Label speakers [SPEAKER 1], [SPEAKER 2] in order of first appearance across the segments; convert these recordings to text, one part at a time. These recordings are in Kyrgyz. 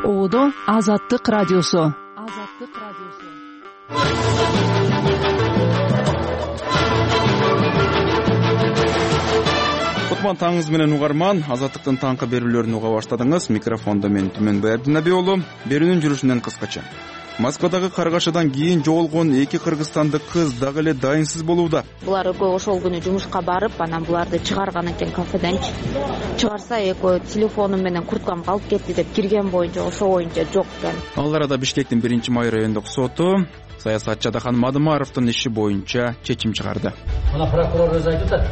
[SPEAKER 1] Оодо Азаттык радиосу.
[SPEAKER 2] Кутман таңыңыз менен угарман. Азаттыктын таңкы берүүлөрүн уга баштадыңыз. Микрофондо мен Түмөнбай Абдынаби уулу. Берүүнүн жүрүшүнөн кыскача. Москвадагы каргашадан кийин жоголгон эки кыргызстандык кыз дагы эле дайынсыз болууда.
[SPEAKER 3] Булар экөө ошол күнү жумушка барып, анан буларды чыгарган экен кафеден. Чыгарса экөө телефонум менен курткамды алып кетти деп кирген боюнча, ошо боюнча жок экен.
[SPEAKER 2] Ал арада Бишкектин 1-май райондук соту саясатчы Адахан Мадумаровдун иши боюнча чечим чыгарды.
[SPEAKER 4] Мына прокурор өзү айтып атат.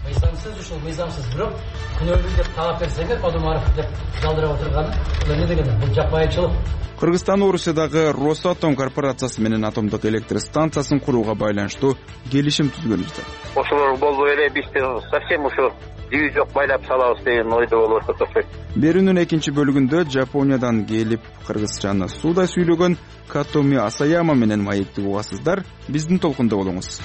[SPEAKER 4] Мыйзамсыз ушул мыйзамсыз, бирок күнөөлүү деп таап берсеңер, Мадумаров деп жалдырап отурганы бул эмне дегени? Бул жапайычылык.
[SPEAKER 2] Кыргызстан Орусиядагы Росатом корпорациясы менен атомдук электр станциясын курууга байланыштуу келишим түзгөнүздө.
[SPEAKER 5] Ошолор болбой эле бизди совсем ушу дүйү жок байлап салабыз деген ойдо болуп атат.
[SPEAKER 2] Берүүнүн экинчи бөлүгүндө Жапониядан келип кыргызчаны суудай сүйлөгөн Катоми Асаяма менен маектик угасыздар. Биздин толкунда болуңуз.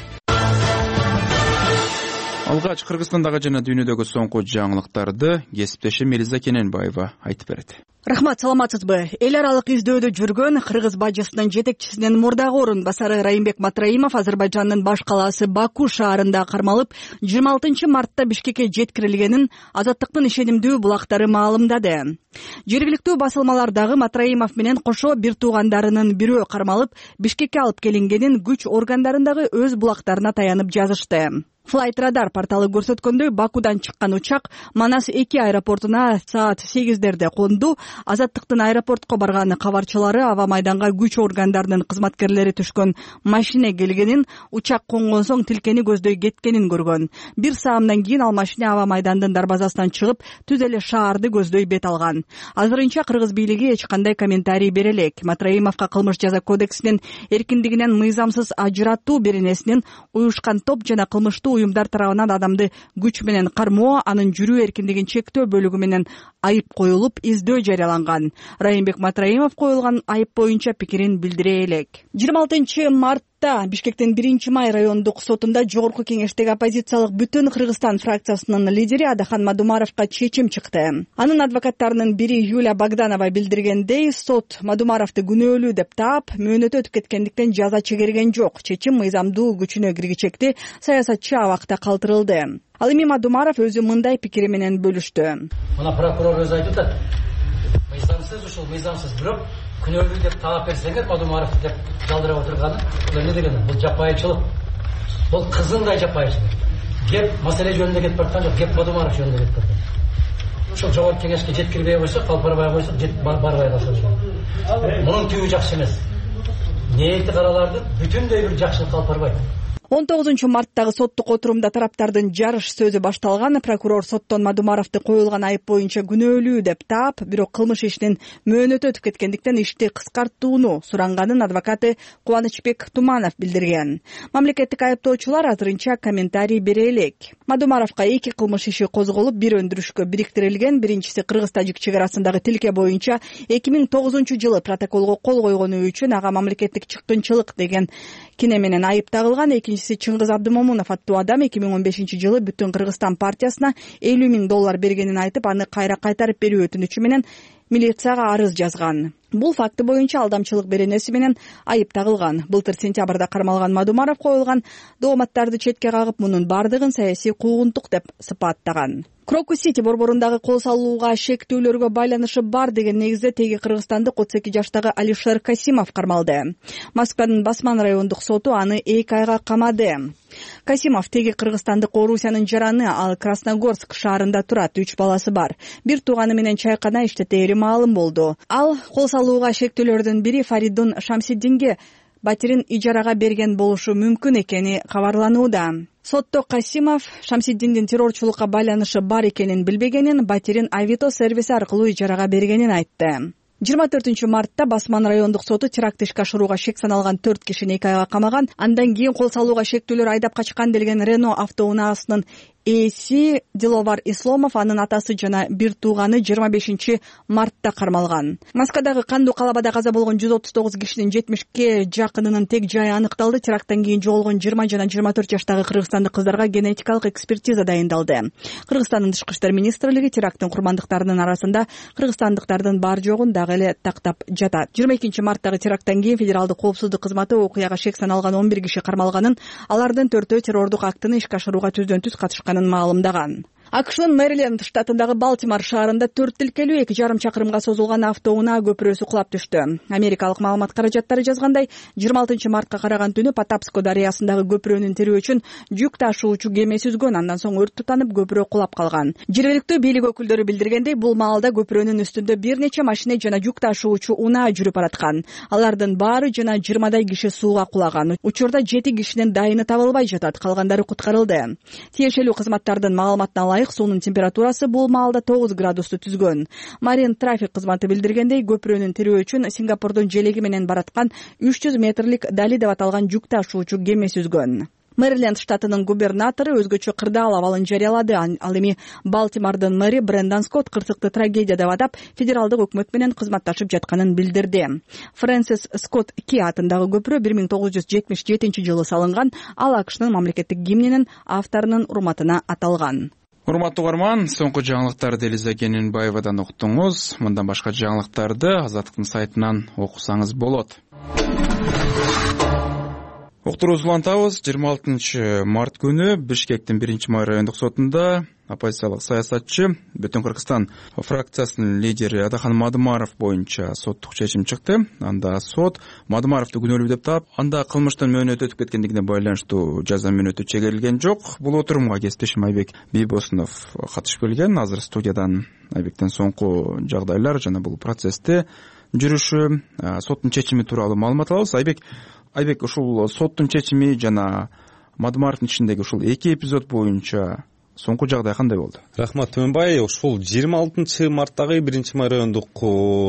[SPEAKER 2] Алгач Кыргызстандагы жана дүйнөдөгү соңку жаңылыктарды кесиптешим Элиза Кененбаева айтып берет.
[SPEAKER 6] Рахмат, саламатсызбы? Эл аралык издөөдө жүргөн кыргыз бажысынын жетекчисинин мурдагы орун басары Райымбек Матраимов Азербайжандын баш калаасы Баку шаарында кармалып, 26 мартта Бишкекке жеткирилгенин Азаттыктын ишенимдүү булактары маалымдады. Жергиликтүү басылмалардагы Матраимов менен кошо бир туугандарынын бирөө кармалып, Бишкекке алып келингенин күч органдарындагы өз булактарына таянып жазышты. Flight Radar порталы көрсөткөндөй, Бакудан чыккан учак Манас 2 аэропортуна саат 8-дерде конду. Азаттыктын аэропортко барган кабарчылары аба майданга күч органдарынын кызматкерлери түшкөн машина келгенин, учак конгон соң тилкени көздөй кеткенин көргөн. Бир саамдан кийин ал машина аба майдандын дарбазасынан чыгып, түз эле шаарды көздөй бет алган. Азырынча кыргыз бийлиги эч кандай комментарий бере элек. Матраимовго кылмыш жаза кодексинин эркиндигинен мыйзамсыз ажыратуу беренесинин уюшкан топ жана кылмыштуу уюмдар тарабынан адамды күч менен кармоо, анын жүрүү эркиндигин чектөө бөлүгү менен айып коюлуп, издөө жарыяланган. Райымбек Матраимов коюлган айып боюнча пикирин билдире элек. 26 мартта Бишкектин 1-май райондук сотунда жогорку кеңештеги оппозициялык Бүтүн Кыргызстан фракциясынын лидери Адахан Мадумаровго чечим чыкты. Анын адвокаттарынын бири Юлия Богданова билдиргендей, сот Мадумаровду күнөөлүү деп таап, мөөнөтү өтүп кеткендиктен жаза чегерген жок. Чечим мыйзамдуу күчүнө киргичекти, саясатчы абакта калтырылды. Ал эми Мадумаров өзү мындай пикири менен бөлүштү.
[SPEAKER 4] Мына прокурор өзү айтып атат. Мыйзамсыз ушул мыйзамсыз, бирок күнөөлүү деп таап берсеңер, Мадумаров деп жалдырап отурганы бул эмне дегени? Бул жапайычылык. Бул кызындай жапайычылык. Кеп маселе жөнүндө кетип бараткан жок, кеп Мадумаров жөнүндө кетип бараткан. Ушул жогорку кеңешке жеткирбей койсо, калпарбай койсо, барбай калса. Мунун түбү жакшы эмес. Ниети караларды бүтүндөй бир жакшылык алып барбайт.
[SPEAKER 6] 19 марттагы соттук отурумда тараптардын жарыш сөзү башталган. Прокурор соттон Мадумаровду коюлган айып боюнча күнөөлүү деп таап, бирок кылмыш ишинин мөөнөтү өтүп кеткендиктен ишти кыскартууну суранганын адвокаты Кубанычбек Туманов билдирген. Мамлекеттик айыптоочулар азырынча комментарий бере элек. Мадумаровго эки кылмыш иши козголуп, бир өндүрүшкө бириктирилген. Биринчиси Кыргыз-Тажик чек арасындагы тилке боюнча 2009 жылы протоколго кол койгону үчүн ага мамлекеттик чыккынчылык деген кине менен айып тагылган. Экинчиси Чыңгыз Абдымомунов аттуу адам 2015 жылы Бүтүн Кыргызстан партиясына $50,000 бергенин айтып, аны кайра кайтарып берүү өтүнүчү менен милицияга арыз жазган. Бул факты боюнча алдамчылык беренеси менен айып тагылган. Былтыр сентябрда кармалган Мадумаров коюлган дооматтарды четке кагып, мунун бардыгын саясий куугунтук деп сыпаттаган. Крокус-Сити борборундагы кол салууга шектүүлөргө байланышы бар деген негизде теги кыргызстандык 32 жаштагы Алишер Касимов кармалды. Москванын Басман райондук соту аны 2 айга камады. Касимов теги кыргызстандык Орусиянын жараны, ал Красногорск шаарында турат, 3 баласы бар. Бир тууганы менен чайкана иштетери маалым болду. Ал кол салууга шектүүлөрдүн бири Фаридун Шамсиддинге батирин ижарага берген болушу мүмкүн экени кабарланууда. Сотто Касимов Шамсиддиндин террорчулукка байланышы бар экенин билбегенин, батирин Авито сервиси аркылуу ижарага бергенин айтты. 24 мартта Басман райондук соту теракт ишке ашырууга шек саналган 4 кишини 2 айга камаган. Андан кийин кол салууга шектүүлөр айдап качкан делген Рено автоунаасынын ээси Диловар Исломов, анын атасы жана бир тууганы 25 мартта кармалган. Москвадагы кандуу калабада каза болгон 139 кишинин 70ке жакынынын тег жайы аныкталды. Теракттан кийин жоголгон 20 жана 24 жаштагы кыргызстандык кыздарга генетикалык экспертиза дайындалды. Кыргызстандын тышкы иштер министрлиги теракттын курмандыктарынын арасында кыргызстандыктардын бар жогун дагы эле тактап жатат. 22 марттагы теракттан кийин федералдык коопсуздук кызматы окуяга шек саналган 11 киши кармалганын, алардын 4-өө террордук актыны ишке ашырууга түздөн-түз катышканын маалымдаган. АКШнын Мэриленд штатындагы Балтимор шаарында 4 тилкелүү 2,5 чакырымга созулган автоунаа көпүрөсү кулап түштү. Америкалык маалымат каражаттары жазгандай, 26 мартка караган түнү Потапско дарыясындагы көпүрөнүн тирөө үчүн жүк ташуучу кемеси үзгөн, андан соң өрт тутанып көпүрө кулап калган. Жергиликтүү бийлик өкүлдөрү билдиргендей, бул маалда көпүрөнүн үстүндө бир нече машина жана жүк ташуучу унаа жүрүп бараткан. Алардын баары жана 20дай киши сууга кулаган. Учурда 7 кишинин дайыны табылбай жатат, калгандары куткарылды. Тиешелүү кызматтардын маалыматына суунун температурасы бул маалда 9 градусту түзгөн. Марин трафик кызматы билдиргендей, көпүрөнүн тирөө үчүн Сингапурдун желеги менен бараткан 300 метрлик Дали деп аталган жүк ташуучу кемеси үзгөн. Мэриленд штатынын губернатору өзгөчө кырдаал абалын жарыялады. Ал эми Балтимордун мэри Брэндон Скотт кырсыкты трагедия деп атап, федералдык өкмөт менен кызматташып жатканын билдирди. Фрэнсис Скотт Ки атындагы көпүрө 1977 жылы салынган. Ал АКШнын мамлекеттик гимнинин авторунун урматына аталган.
[SPEAKER 2] Урматтуу угарман, соңку жаңылыктарды Элиза Кененбаевадан уктуңуз. Мындан башка жаңылыктарды Азаттыктын сайтынан окусаңыз болот. Уктуруубузду улантабыз. 26 март күнү Бишкектин 1-май райондук сотунда оппозициялык саясатчы, Бүтүн Кыргызстан фракциясынын лидери Адахан Мадымаров боюнча соттук чечим чыкты. Анда сот Мадымаровду күнөөлүү деп таап, анда кылмыштын мөөнөтү өтүп кеткендигине байланыштуу жаза мөөнөтү чегерилген жок. Бул отурумга кесиптешим Айбек Бийбосунов катышып келген. Азыр студиядан Айбектен соңку жагдайлар жана бул процессте жүрүшү, соттун чечими тууралуу маалымат алабыз. Айбек, ушул соттун чечими жана Мадымаровдун ичиндеги ушул 2 эпизод боюнча соңку жагдай кандай болду?
[SPEAKER 7] Рахмат Төмөнбай. Ушул 26 марттагы 1-май райондук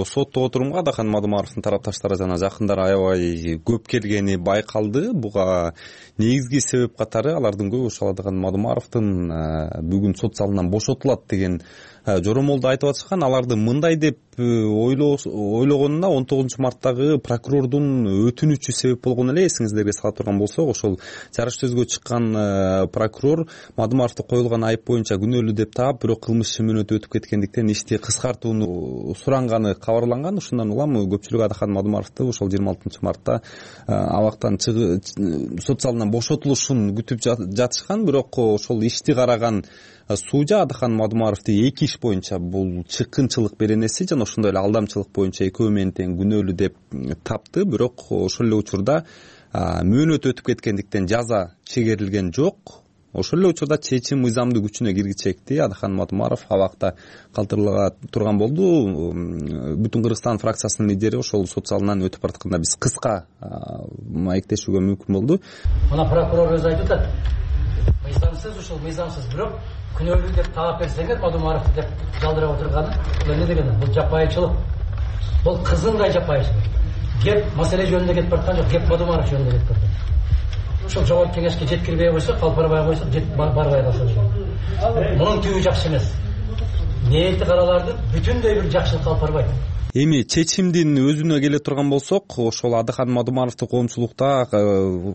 [SPEAKER 7] соттук отурумга Адахан Мадымаровдун тарапташтары жана жакындары аябай көп келгени байкалды. Буга негизги себеп катары алардын көбү ушул Адахан Мадымаровдун бүгүн сот залынан бошотулат деген жоромолду айтып атышкан. Аларды мындай деп ойлогонуна 19 марттагы прокурордун өтүнүчү себеп болгон эле. Эсиңиздерге сала турган болсок, ошол жарыш сөзгө чыккан прокурор Мадымаровду коюлган айып боюнча күнөөлүү деп таап, бирок кылмыш мөөнөтү өтүп кеткендиктен ишти кыскартууну суранганы кабарланган. Ушундан улам көпчүлүк Адахан Мадымаровду ошол 26 мартта абактан сот залынан бошотулушун күтүп жатышкан. Бирок ошол ишти караган сужа Адахан Мадымаровду 2 иш боюнча бул чыккынчылык беренеси жана ошондой эле алдамчылык боюнча экөө менен тең күнөөлүү деп тапты. Бирок ошол эле учурда мөөнөт өтүп кеткендиктен жаза чегерилген жок. Ошол эле учурда чечим мыйзамдуу күчүнө киргичекти. Адахан Мадымаров абакта калтырыла турган болду. Бүтүн Кыргызстан фракциясынын лидери ошол сот залынан өтүп баратканда биз кыска маектешүүгө мүмкүн болду.
[SPEAKER 4] Мына прокурор өзү айтып атат. Мыйзамсыз ушул мыйзамсыз, бирок күнөөлүү деп таап берсеңер Мадымаров деп жалдырап отурганы, бул эмне дегени? Бул жапайычылык. Бул кызындай жапайычылык. Кеп маселе жөнүндө кетип бараткан жок, кеп Мадымаров жөнүндө кетип бараткан. Ушул жогорку кеңешке жеткирбей койсо, калпырбай койсо, барбай калса. Мунун түбү жакшы эмес. Ниети караларды бүтүндөй бир жакшылык алып барбайт.
[SPEAKER 7] Эми чечимдин өзүнө келе турган болсок, ошол Адахан Мадымаровду коомчулукта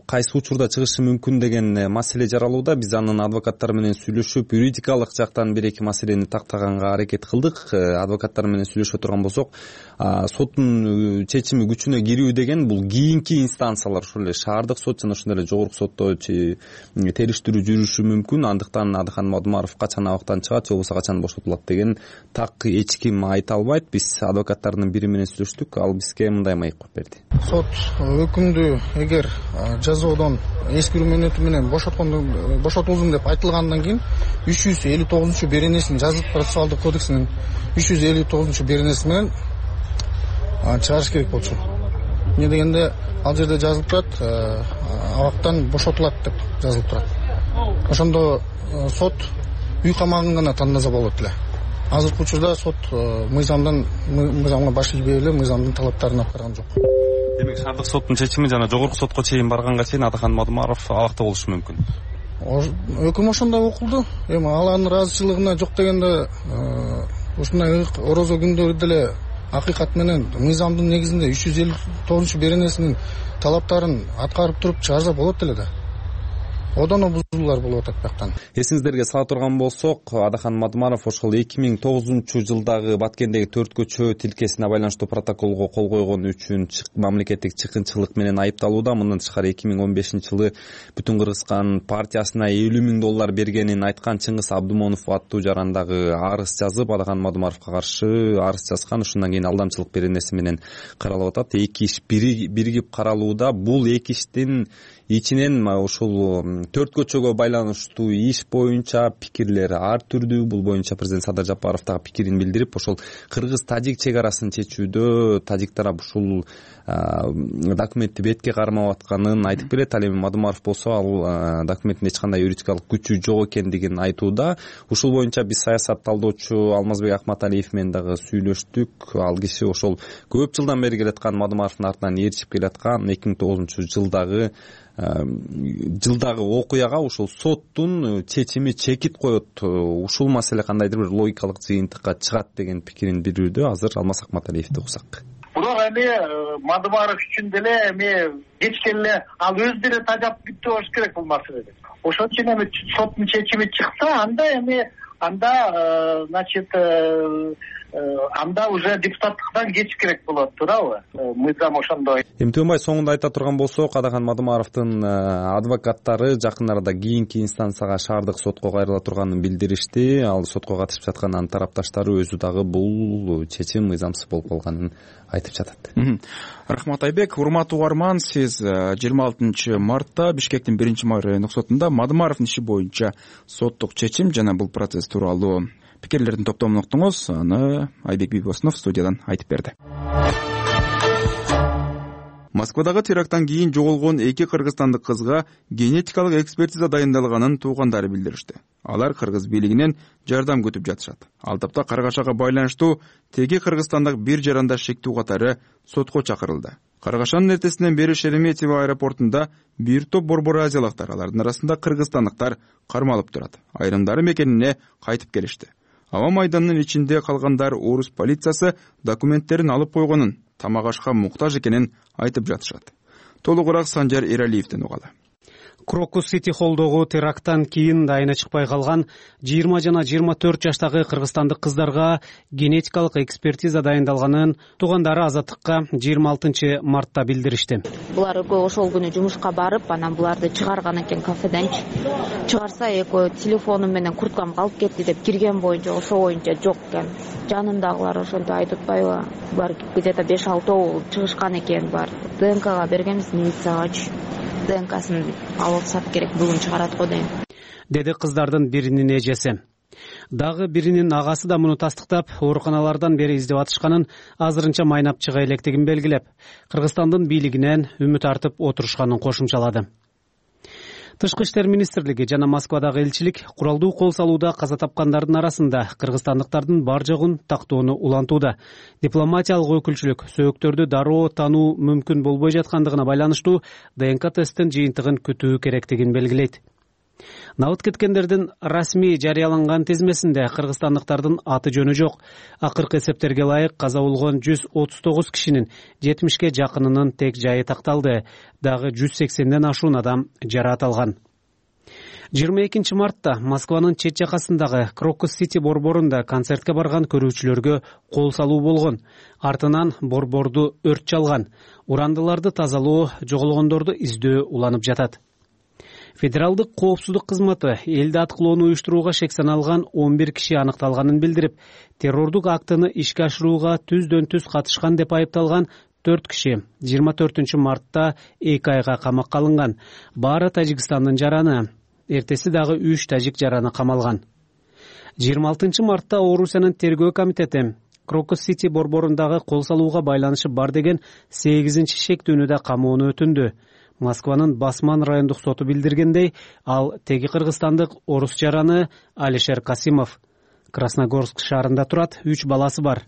[SPEAKER 7] кайсы учурда чыгышы мүмкүн деген маселе жаралууда. Биз анын адвокаттары менен сүйлөшүп, юридикалык жактан 1-2 маселени тактаганга аракет кылдык. Адвокаттар менен сүйлөшө турган болсок, соттун чечими күчүнө кирүү деген бул кийинки инстанциялар, ошол эле шаардык сот жана ошондой эле жогорку сотто териштирүү жүрүшү мүмкүн. Андыктан Адахан Мадымаров качан абактан чыгат же болбосо качан бошотулат деген так эч ким айта албайт. Биз адвокаттардын бири менен сүйлөштүк, ал бизге мындай маек коюп берди.
[SPEAKER 8] Сот өкүмдү эгер жазоодон эскирүү мөөнөтү менен бошотулдум деп айтылгандан кийин 359-беренесин жазык процессуалдык кодексинин 359-беренеси менен чыгарыш керек болчу. Эмне дегенде ал жерде жазылып турат, абактан бошотулат деп жазылып турат. Ошондо сот үй камагын гана тандаса болот эле. Азыркы учурда сот мыйзамга баш ийбей эле мыйзамдын талаптарын аткарган жок.
[SPEAKER 7] Демек шаардык соттун чечими жана жогорку сотко чейин барганга чейин Адахан Мадымаров абакта болушу мүмкүн.
[SPEAKER 8] өкүм ошондой окулду. Эми алардын ыраазычылыгына жок дегенде ушундай орозо күндөрү деле акыйкат менен мыйзамдын негизинде 359 беренесинин талаптарын аткарып туруп чыгарса болот эле да. Одоно бузуулар болуп атат бияктан.
[SPEAKER 7] Эсиңиздерге сала турган болсок, Адахан Мадумаров ошол 2009-жылдагы Баткендеги 4 көчө тилкесине байланыштуу протоколго кол койгон үчүн мамлекеттик чыккынчылык менен айыпталууда. Мындан тышкары 2015-жылы Бүтүн Кыргызстан партиясына $50,000 бергенин айткан Чыңгыз Абдумонов аттуу жарандагы арыз жазып, Адахан Мадумаровго каршы арыз жазган. Ушундан кийин алдамчылык беренеси менен каралып атат. Эки иш биригип каралууда. Бул эки иштин ичинен ушул 4 көчөгө байланыштуу иш боюнча пикирлер ар түрдүү. Бул боюнча президент Садыр Жапаров дагы пикирин билдирип, ошол кыргыз-тажик чек арасын чечүүдө тажик тарап ушул документти бетке кармап атканын айтып келет. Ал эми Мадумаров болсо ал документтин эч кандай юридикалык күчү жок экендигин айтууда. Ушул боюнча биз саясат талдоочу Алмазбек Акматалиев менен дагы сүйлөштүк. Ал киши ошол көп жылдан бери келаткан Мадумаровдун артынан ээрчип келаткан 2009-жылдагы окуяга ушул соттун чечими чекит коет. Ушул маселе кандайдыр бир логикалык жыйынтыкка чыгат деген пикирин билдирүүдө. Азыр Алмаз Акматалиевди уксак.
[SPEAKER 9] Бирок эми Мадумаров үчүн деле эми кечке эле ал өзү деле тажап бүттү болуш керек бул маселеде. Ошон үчүн эми соттун чечими чыкса, значит анда уже депутаттыктан кетиш керек болот, туурабы? Мыйзам ошондой.
[SPEAKER 7] Эми Төөнбай, соңунда айта турган болсок, Адахан Мадумаровдун адвокаттары жакын арада кийинки инстанцияга шаардык сотко кайрыла турганын билдиришти. Ал сотко катышып жаткан анын тарапташтары өзү дагы бул чечим мыйзамсыз болуп калганын айтып жатат.
[SPEAKER 2] Рахмат Айбек. Урматтуу угарман, сиз 26 мартта Бишкектин 1-май райондук сотунда Мадумаровдун иши боюнча соттук чечим жана бул процесс тууралуу пикирлердин топтомун уктуңуз. Аны Айбек Бибосунов студиядан айтып берди. Москвадагы теракттан кийин жоголгон эки кыргызстандык кызга генетикалык экспертиза дайындалганын туугандары билдиришти. Алар кыргыз бийлигинен жардам күтүп жатышат. Ал тапта Каргашага байланыштуу теги кыргызстандык бир жарандаш шектүү катары сотко чакырылды. Каргашанын эртесинен бери Шереметьево аэропортунда бир топ борбор азиялыктар, алардын арасында кыргызстандыктар кармалып турат. Айрымдары мекенине кайтып келишти. Аба майданынын ичинде калгандар орус полициясы документтерин алып койгонун, тамак ашка муктаж экенин айтып жатышат. Толугураак Санжар Эралиевден угалы.
[SPEAKER 10] Крокус Сити холлдогу теракттан кийин дайына чыкпай калган 20 жана 24 жаштагы кыргызстандык кыздарга генетикалык экспертиза дайындалганын туугандары Азаттыкка 26 мартта билдиришти.
[SPEAKER 3] Булар экөө ошол күнү жумушка барып, анан буларды чыгарган экен кафеден. Чыгарса экөө телефонум менен курткам калып кетти деп кирген боюнча, ошо боюнча жок экен. Жанындагылар ошентип айтып атпайбы? Булар где-то 5-6 чыгышкан экен бар. ДНКга бергенбиз милициягачы. ДНКсын алып сап керек, бүгүн чыгарат го дейм,
[SPEAKER 10] деди кыздардын биринин эжеси. Дагы биринин агасы да муну тастыктап, ооруканалардан бери издеп атышканын, азырынча майнап чыга электигин белгилеп, Кыргызстандын бийлигинен үмүт артып отурушканын кошумчалады. Тышкы иштер министрлиги жана Москвадагы элчилик куралдуу кол салууда каза тапкандардын арасында кыргызстандыктардын бар жогун тактоону улантууда. Дипломатиялык өкүлчүлүк сөөктөрдү дароо тануу мүмкүн болбой жаткандыгына байланыштуу ДНК тесттин жыйынтыгын күтүү керектигин белгилейт. Набыт кеткендердин расмий жарыяланган тизмесинде кыргызстандыктардын аты жөнү жок. Акыркы эсептерге ылайык каза болгон 139 кишинин 70ке жакынынын тек жайы такталды. Дагы 180ден ашуун адам жараат алган. 22 мартта Москванын чет жакасындагы Крокус Сити борборунда концертке барган көрүүчүлөргө кол салуу болгон. Артынан борборду өрт чалган. Урандыларды тазалоо, жоголгондорду издөө уланып жатат. Федералдык коопсуздук кызматы элди аткылоону уюштурууга шек саналган 11 киши аныкталганын билдирип, террордук актыны ишке ашырууга түздөн-түз катышкан деп айыпталган 4 киши 24 мартта 2 айга камакка алынган. Баары Тажикстандын жараны, эртеси дагы 3 тажик жараны камалган. 26 мартта Орусиянын тергөө комитети Крокус Сити борборундагы кол салууга байланышы бар деген 8-чи шектүүнү да камоону өтүндү. Москванын Басман райондук соту билдиргендей, ал теги кыргызстандык орус жараны Алишер Касимов. Красногорск шаарында турат, 3 баласы бар.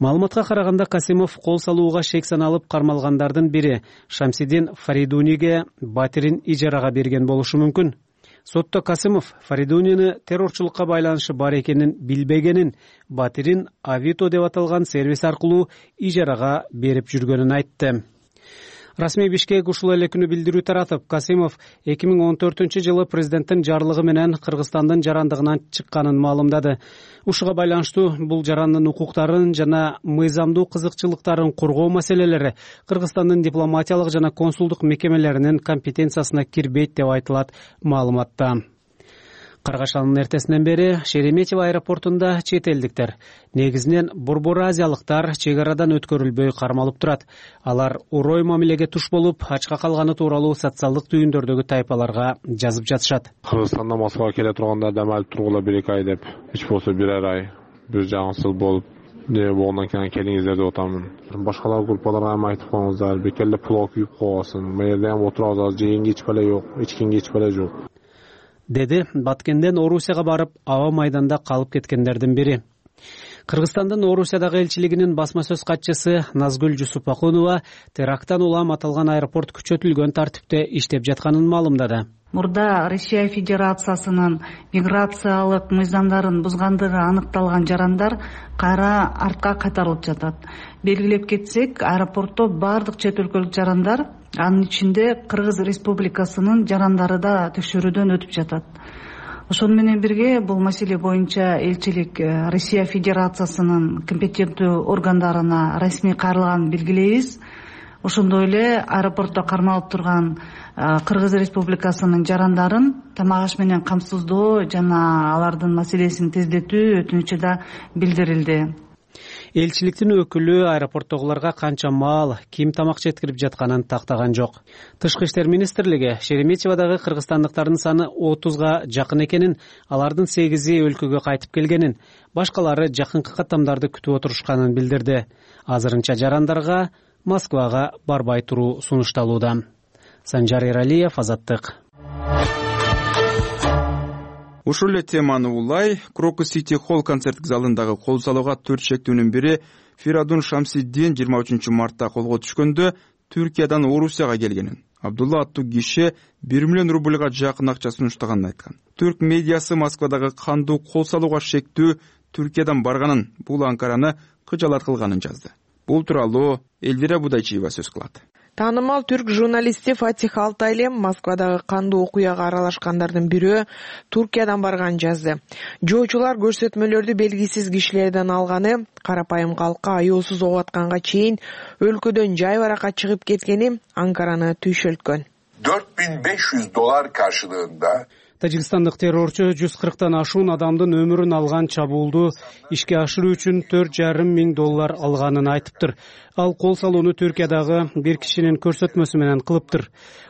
[SPEAKER 10] Маалыматка караганда Касимов кол салууга шек саналып кармалгандардын бири Шамсидин Фаридуниге батирин ижарага берген болушу мүмкүн. Сотто Касымов Фаридунияны террорчулукка байланышы бар экенин билбегенин, Батирин Авито деп аталган сервис аркылуу ижарага берип жүргөнүн айтты. Расмий Бишкек ушул эле күнү билдирүү таратып, Касымов 2014-жылы президенттин жарлыгы менен Кыргызстандын жарандыгынан чыкканын маалымдады. Ушуга байланыштуу бул жарандын укуктарын жана мыйзамдуу кызыкчылыктарын коргоо маселелери Кыргызстандын дипломатиялык жана консулдук мекемелеринин компетенциясына кирбейт деп айтылат маалыматта. Каргашанын эртесинен бери Шереметьево аэропортунда чет элдиктер, негизинен Борбор азиялыктар чек арадан өткөрүлбөй кармалып турат. Алар орой мамилеге туш болуп, ачка калганы тууралуу социалдык түйүндөрдөгү тайпаларга жазып жатышат.
[SPEAKER 11] Кыргызстандан Москвага келе турганда дам алып тургула 1-2 ай деп, эч болсо 1 ай, бир жагымсыз болуп, не болгондон кийин келиңиздер деп атамын. Башкалар группаларга эми айтып коюңуздар, бекелде плов күйүп койгонсун, мэрден отурабыз, жегенге ичпеле жок, ичкенге ичпеле жок.
[SPEAKER 10] Деди Баткенден Орусияга барып, аба майданда калып кеткендердин бири. Кыргызстандын Орусиядагы элчилигинин басма сөз катчысы Назгүл Жусупакунова теракттан улам аталган аэропорт күчөтүлгөн тартипте иштеп жатканын маалымдады.
[SPEAKER 12] Мурда Россия Федерациясынын миграциялык мыйзамдарын бузгандыгы аныкталган жарандар кайра артка кайтарылып жатат. Белгилеп кетсек, аэропортто бардык чет өлкөлүк жарандар, анын ичинде Кыргыз Республикасынын жарандары да текшерүүдөн өтүп жатат. Ошону менен бирге бул маселе боюнча элчилик Россия Федерациясынын компетенттүү органдарына расмий кайрылганын белгилейбиз. Ошондой эле аэропортто кармалып турган Кыргыз Республикасынын жарандарын тамак аш менен камсыздоо жана алардын маселесин тездетүү өтүнүчү да билдирилди.
[SPEAKER 10] Элчиликтин өкүлү аэропорттогуларга канча маал, ким тамак жеткирип жатканын тактаган жок. Тышкы иштер министрлиги Шереметьеводагы кыргызстандыктардын саны 30га жакын экенин, алардын 8-и өлкөгө кайтып келгенин, башкалары жакынкы каттамдарды күтүп отурушканын билдирди. Азырынча жарандарга Москвага барбай туруу сунушталууда. Санжар Эралиев, Азаттык.
[SPEAKER 2] Ушул эле теманы улай Крокус Сити Холл концерттик залындагы кол салууга 4 шектүүнүн бири Фиридун Шамсиддин 23 мартта колго түшкөндө Түркиядан Орусияга келгенин, Абдулла аттуу киши 1 миллион рубльга жакын акча сунуштаганын айткан. Түрк медиасы Москвадагы кандуу кол салууга шектүү Түркиядан барганын, бул Анкараны кыжалат кылганын жазды. Бул тууралуу Элвира Будайчиева сөз кылат.
[SPEAKER 13] Таанымал түрк журналисти Фатих Алтайлем Москвадагы кандуу окуяга аралашкандардын бирөө Туркиядан барганын жазды. Жоочулар көрсөтмөлөрдү белгисиз кишилерден алганы, карапайым калкка аяосуз ок атканга чейин өлкөдөн жай баракка чыгып кеткени Анкараны түйшөлткөн.
[SPEAKER 14] $4500 каршылыгында
[SPEAKER 10] Тажикстандык террорчу 140тан ашуун адамдын өмүрүн алган чабуулду ишке ашыруу үчүн $4,5 миң алганын айтыптыр. Ал кол салууну Түркиядагы бир кишинин көрсөтмөсү менен кылыптыр.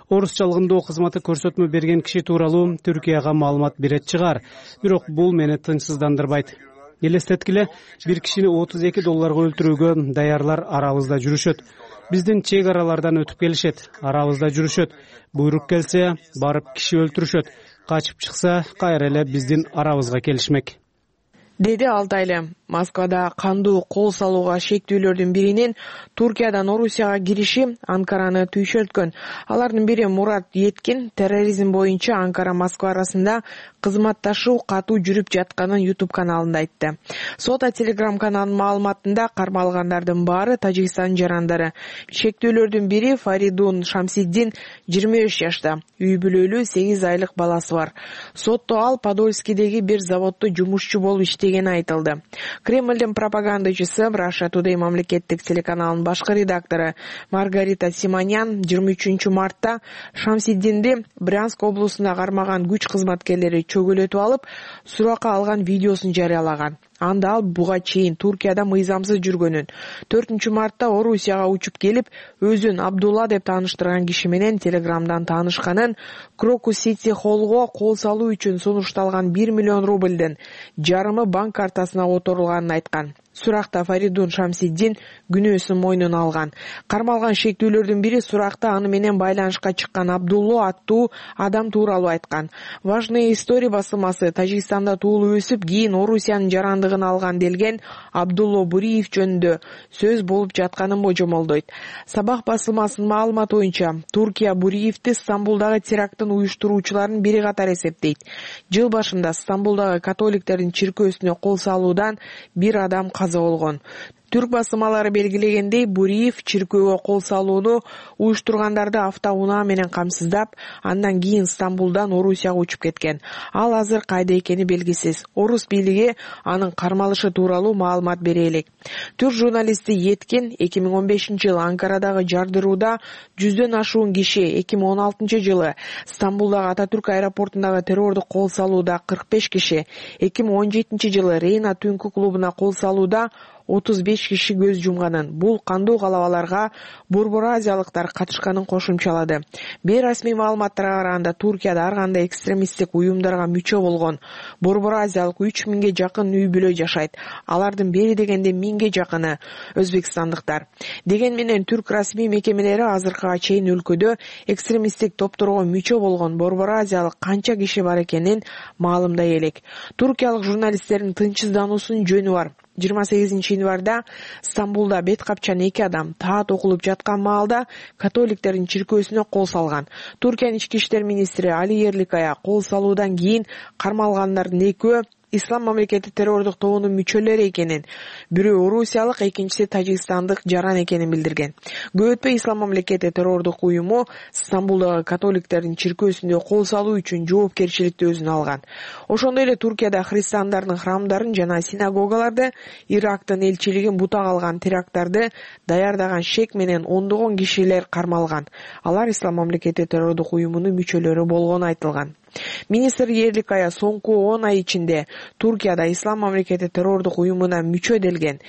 [SPEAKER 10] Орусчалыгындоо кызматы көрсөтмө берген киши тууралуу Түркияга маалымат берет чыгар, бирок бул мени тынчсыздандырбайт. Элестеткиле, бир кишини $32 өлтүрүүгө даярлар арабызда жүрүшөт. Биздин чек аралардан өтүп келишет, арабызда жүрүшөт. Буйрук келсе, барып киши өлтүрүшөт. Качып чыкса, кайра эле биздин арабызга келишмек.
[SPEAKER 13] Деди Алтайлем. Москвада кандуу кол салууга шектүүлөрдүн биринин Туркиядан Орусияга кириши Анкараны түйшөлткөн. Алардын бири Мурат Еткин терроризм боюнча Анкара-Москва арасында кызматташуу катуу жүрүп жатканын YouTube каналында айтты. Сота Telegram каналынын маалыматында кармалгандардын баары Тажикстан жарандары. Шектүүлөрдүн бири Фаридун Шамсиддин 23 жашта, үй бүлөлүү 8 айлык баласы бар. Сотто ал Подольскидеги бир заводдо жумушчу болуп иштегени айтылды. Кремлдин пропагандачысы Russia Today мамлекеттик телеканалынын башкы редактору Маргарита Симонян 23 мартта Шамсиддинди Брянск облусунда кармаган күч кызматкерлери чөгөлөтүп алып, суракка алган видеосун жарыялаган. Анда ал буга чейин Туркияда мыйзамсыз жүргөнүн, 4 мартта Орусияга учуп келип, өзүн Абдулла деп тааныштырган киши менен Телеграмдан таанышканын, Крокус Сити Холлго кол салуу үчүн сунушталган $1 миллион рубльдин жарымы банк картасына которулганын айткан. суракта Фаридун Шамсиддин күнөөсүн мойнуна алган. Кармалган шектүүлөрдүн бири суракта аны менен байланышка чыккан Абдулло аттуу адам тууралуу айткан. Важные истории басылмасы Тажикстанда туулуп өсүп, кийин Орусиянын жарандыгын алган делген Абдулло Буриев жөнүндө сөз болуп жатканын божомолдойт. Сабах басылмасынын маалыматы боюнча, Туркия Буриевди Стамбулдагы теракттын уюштуруучуларынын бири катары эсептейт. Жыл башында Стамбулдагы католиктердин чиркөөсүнө кол салуудан бир адам каза болгон. Түрк басылмалары белгилегендей, Буриев чиркөөгө кол салууну уюштургандарды автоунаа менен камсыздап, андан кийин Стамбулдан Орусияга учуп кеткен. Ал азыр кайда экени белгисиз. Орус бийлиги анын кармалышы тууралуу маалымат бере элек. Түрк журналисти Еткен 2015-жылы Анкарадагы жардырууда 100дөн ашуун киши, 2016-жылы Стамбулдагы Ататүрк аэропортундагы террордук кол салууда 45 киши, 2017-жылы Рейна түнкү клубуна кол салууда 35 киши көз жумганын, бул кандуу калабаларга борбор азиялыктар катышканын кошумчалады. Бейрасмий маалыматтарга караганда, Туркияда ар кандай экстремисттик уюмдарга мүчө болгон борбор азиялык 3000ге жакын үй-бүлө жашайт. Алардын бери дегенде 1000ге жакыны өзбекстандыктар. Деген менен түрк расмий мекемелери азыркыга чейин өлкөдө экстремисттик топторго мүчө болгон борбор азиялык канча киши бар экенин маалымдай элек. Туркиялык журналисттердин тынчсыздануусунун жөнү бар. 28-январда Стамбулда бет капчан 2 адам таат окулуп жаткан маалда католиктердин чиркөөсүнө кол салган. Туркиянын ички иштер министри Али Ерликая кол салуудан кийин кармалгандардын экөө Ислам мамлекети террордук тобунун мүчөлөрү экенин, бирөө орусиялык, экинчиси тажикстандык жаран экенин билдирген. Көп өтпөй Ислам мамлекети террордук уюму Стамбулдагы католиктердин чиркөөсүндө кол салуу үчүн жоопкерчиликти өзүнө алган. Ошондой эле Туркияда христиандардын храмдарын жана синагогаларды, Ирактын элчилигин бутак алган теракттарды даярдаган шек менен ондогон кишилер кармалган. Алар Ислам мамлекети террордук уюмунун мүчөлөрү болгону айтылган. Министр Ерликая соңку 10 ай ичинде Туркияда Ислам мамлекети террордук уюмуна мүчө делген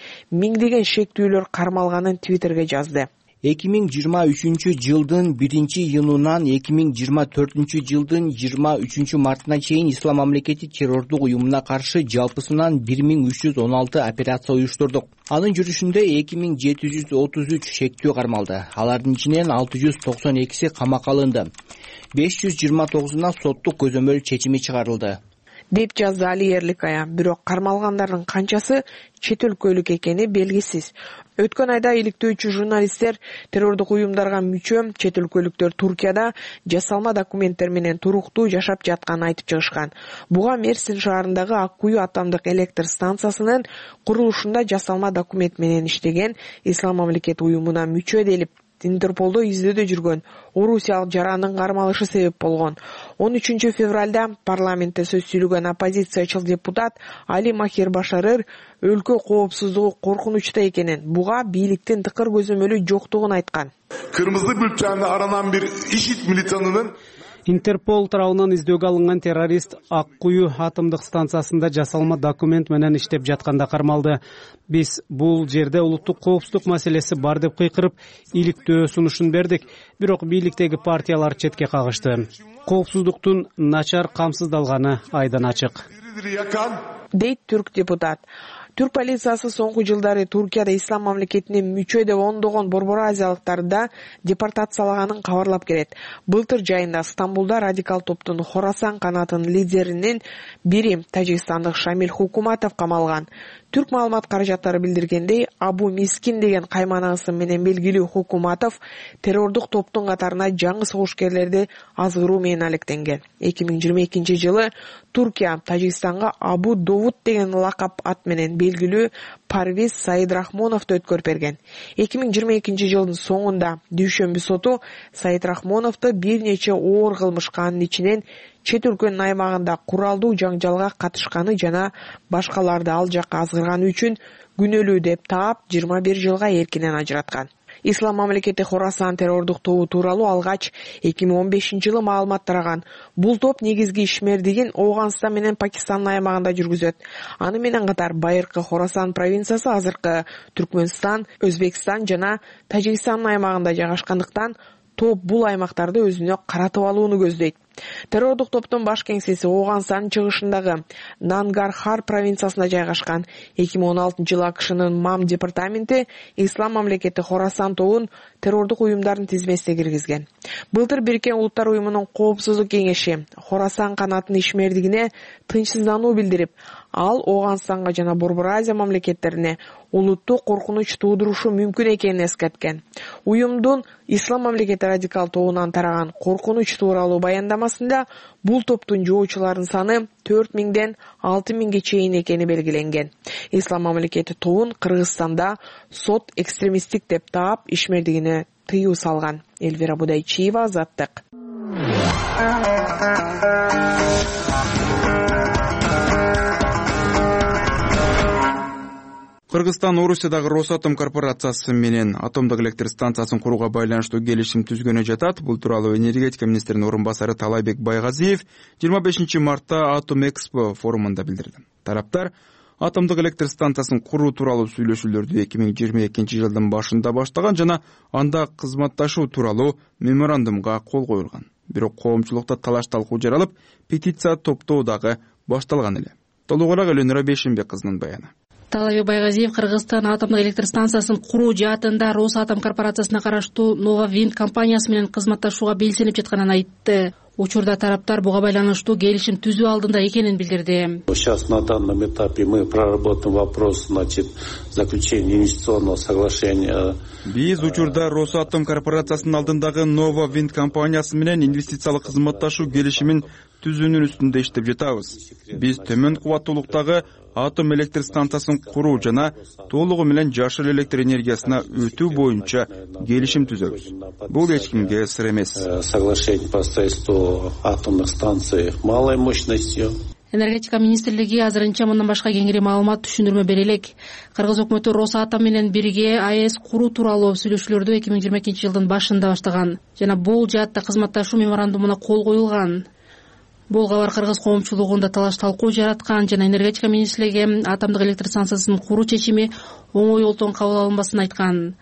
[SPEAKER 13] миңдеген шектүүлөр кармалганын Твиттерге жазды.
[SPEAKER 15] 2023-жылдын 1-июнунан 2024-жылдын 23-мартына чейин Ислам мамлекети террордук уюмуна каршы жалпысынан 1316 операция уюштурдук. Анын жүрүшүндө 2733 шектүү кармалды. Алардын ичинен 692си камакка алынды. 529-уна соттук көзөмөл чечими чыгарылды,
[SPEAKER 13] деп жазды Али Ерликая. Бирок кармалгандардын канчасы чет өлкөлүк экени белгисиз. Өткөн айда иликтөөчү журналисттер террордук уюмдарга мүчө чет өлкөлүктөр Туркияда жасалма документтер менен туруктуу жашап жатканын айтып чыгышкан. Буга Мерсин шаарындагы Ак Кую атомдук электр станциясынын курулушунда жасалма документ менен иштеген Ислам мамлекети уюмуна мүчө делип Интерполдо издөөдө жүргөн орусиялык жарандын кармалышы себеп болгон. 13 февралда парламентте сөз сүйлөгөн оппозициячыл депутат Али Махир Башарыр өлкө коопсуздугу коркунучта экенин, буга бийликтин тыкыр көзөмөлү жоктугун айткан.
[SPEAKER 16] Кырмызы бülteninde aranan bir IŞİD militanının
[SPEAKER 10] Интерпол тарабынан издөөгө алынган террорист Ак Кую атомдук станциясында жасалма документ менен иштеп жатканда кармалды. Биз бул жерде улуттук коопсуздук маселеси бар деп кыйкырып, иликтөө сунушун бердик, бирок бийликтеги партиялар четке кагышты. Коопсуздуктун начар камсыздалганы айдан ачык,
[SPEAKER 13] дейт түрк депутат. Түрк полициясы соңку жылдары Туркияда Ислам мамлекетине мүчө деп ондогон борбор азиялыктарды депортациялаганын кабарлап келет. Былтыр жайында Стамбулда радикал топтун Хорасан канатынын лидеринин бири тажикстандык Шамил Хукуматов камалган. Түрк маалымат каражаттары билдиргендей, Абу Мискин деген кайманасы менен белгилүү Хукуматов террордук топтун катарына жаңы согушкерлерди азгыруу менен алектенген. 2022-жылы Туркия Тажикстанга Абу Довуд деген лакап ат менен белгилүү Парвиз Саидрахмоновду өткөрүп берген. 2022-жылдын соңунда дүйшөмбү соту Саидрахмоновду бир нече оор кылмышка, анын ичинен чет өлкөнүн аймагында куралдуу жаңжалга катышканы жана башкаларды ал жакка азгырганы үчүн күнөөлүү деп таап 21 жылга эркинен ажыраткан. Ислам мамлекети Хорасан террордук тобу тууралуу алгач 2015-жылы маалымат тараган. Бул топ негизги ишмердигин Ооганстан менен Пакистандын аймагында жүргүзөт. Аны менен катар байыркы Хорасан провинциясы азыркы Түркмөнстан, Өзбекстан жана Тажикстандын аймагында жайгашкандыктан топ бул аймактарды өзүнө каратып алууну көздөйт. Террордук топтун баш кеңсеси Ооганстандын чыгышындагы Нангархар провинциясында жайгашкан. 2016-жылы АКШнын МАМ департаменти Ислам мамлекети Хорасан тобун террордук уюмдардын тизмесине киргизген. Былтыр Бириккен Улуттар уюмунун Коопсуздук кеңеши Хорасан канатынын ишмердигине тынчсыздануу билдирип, ал Ооганстанга жана Борбор Азия мамлекеттерине улуттук коркунуч туудурушу мүмкүн экенин эскерткен. Уюмдун Ислам мамлекети радикал тобунан тараган коркунуч тууралуу баяндамасында бул топтун жоочуларынын саны 4000ден 6000ге чейин экени белгиленген. Ислам мамлекети тобун Кыргызстанда сот экстремисттик деп таап ишмердигине тыюу салган. Элвира Будайчиева, Азаттык.
[SPEAKER 2] Кыргызстан Орусиядагы Росатом корпорациясы менен атомдук электр станциясын курууга байланыштуу келишим түзгөнү жатат. Бул тууралуу энергетика министринин орун басары Талайбек Байгазиев 25-мартта Атом Экспо форумунда билдирди. Тараптар атомдук электр станциясын куруу тууралуу сүйлөшүүлөрдү 2022-жылдын башында баштаган жана анда кызматташуу тууралуу меморандумга кол коюлган. Бирок коомчулукта талаш-талкуу жаралып, петиция топтоо дагы башталган эле. Толугураак Элөнүра Бешимбек кызынын баяны.
[SPEAKER 17] Талайбек Байгазиев Кыргызстан атомдук электр станциясын куруу жаатында Росатом корпорациясына караштуу Нова Винд компаниясы менен кызматташууга белсенип жатканын айтты. Учурда тараптар буга байланыштуу келишим түзүү алдында экенин билдирди.
[SPEAKER 18] Сейчас на данном этапе мы проработаем вопрос, заключения инвестиционного соглашения.
[SPEAKER 2] Биз учурда Росатом корпорациясынын алдындагы Nova Wind компаниясы менен инвестициялык кызматташуу келишимин түзүүнүн үстүндө иштеп жатабыз. Биз төмөн кубаттуулуктагы атом электр станциясын куруу жана толугу менен жашыл электр энергиясына өтүү боюнча келишим түзөбүз. Бул эч кимге сыр эмес.
[SPEAKER 18] Соглашение по строительству атомных станций малой мощностью.
[SPEAKER 17] Энергетика министрлиги азырынча мындан башка кеңири маалымат түшүндүрмө бере элек. Кыргыз өкмөтү Росатом менен бирге АЭС куруу тууралуу сүйлөшүүлөрдү 2022-жылдын башында баштаган жана бул жаатта кызматташуу меморандумуна кол коюлган. Бул кабар кыргыз коомчулугунда талаш-талкуу жараткан жана энергетика министрлиги атомдук электр станциясын куруу чечими оңой олтон кабыл алынбасын айткан.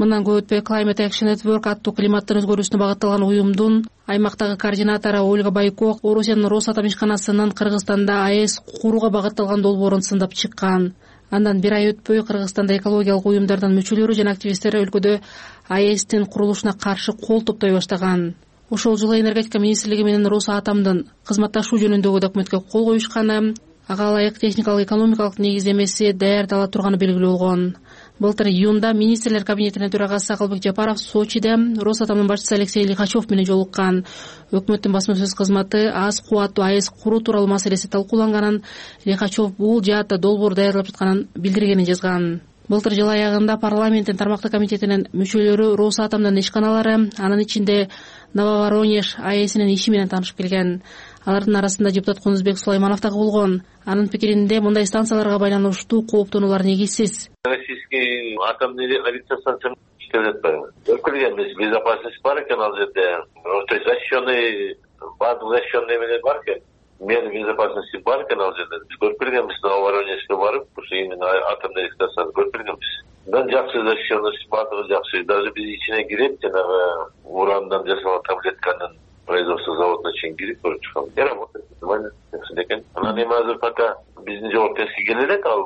[SPEAKER 17] Мындан көп өтпөй Climate Action Network аттуу климаттын өзгөрүүсүнө багытталган уюмдун аймактагы координатору Ольга Байко Орусиянын Росатом ишканасынын Кыргызстанда АЭС курууга багытталган долбоорун сындап чыккан. Андан бир ай өтпөй Кыргызстанда экологиялык уюмдардын мүчөлөрү жана активисттер өлкөдө АЭСтин курулушуна каршы кол топтой баштаган. Ошол жылы энергетика министрлиги менен Росатомдун кызматташуу жөнүндөгү документке кол коюшканы, ага ылайык техникалык экономикалык негиздемеси даярдала турганы белгилүү болгон. Былтыр июнда министрлер кабинетинин төрагасы Акылбек Жапаров Сочиде Росатомдун башчысы Алексей Лихачев менен жолуккан. Өкмөттүн басма сөз кызматы аз кубаттуу АЭС куруу тууралуу маселеси талкууланганын, Лихачев бул жаатта долбоор даярдап жатканын билдиргенин жазган. Былтыр жыл аягында парламенттин тармактуу комитетинин мүчөлөрү Росатомдун ишканалары, анын ичинде Нововоронеж АЭСинин иши менен таанышып келген. Алардын арасында депутат Кунузбек Сулайманов дагы болгон. Анын пикиринде мындай станцияларга байланыштуу кооптонуулар негизсиз.
[SPEAKER 19] Российский атомный электростанция иштеп жатпайбы? Көркөлгөнбүз, безопасность бар экен ал жерде. То есть защищенный, бардык защищенный менен бар экен. Меры безопасности бар экен ал жерде. Биз көркөлгөнбүз, Новоронежге барып, ушу именно атомный электростанцияны көркөлгөнбүз. Жакшы защищенность, бардыгы жакшы. Даже биз ичине кирип, жанагы урандан жасалган таблетканын производство заводуна чейин кирип көрүп чыккан. Работает нормально экен. Анан эми азыр пока биздин жоопкерчиликке келе элек, ал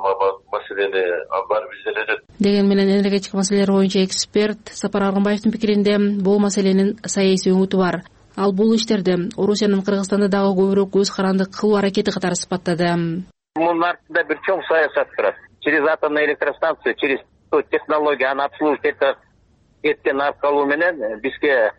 [SPEAKER 19] маселени бар бизде эле.
[SPEAKER 17] Деген менен энергетика маселелери боюнча эксперт Сапар Аргынбаевдин пикиринде бул маселенин саясий өңүтү бар. Ал бул иштерди Орусиянын Кыргызстанда дагы көбүрөөк көз каранды кылуу аракети катары сыпаттады.
[SPEAKER 5] Мунун артында бир чоң саясат турат. Через атомную электростанцию, через технология аны обслуживать эткен аркылуу менен бизге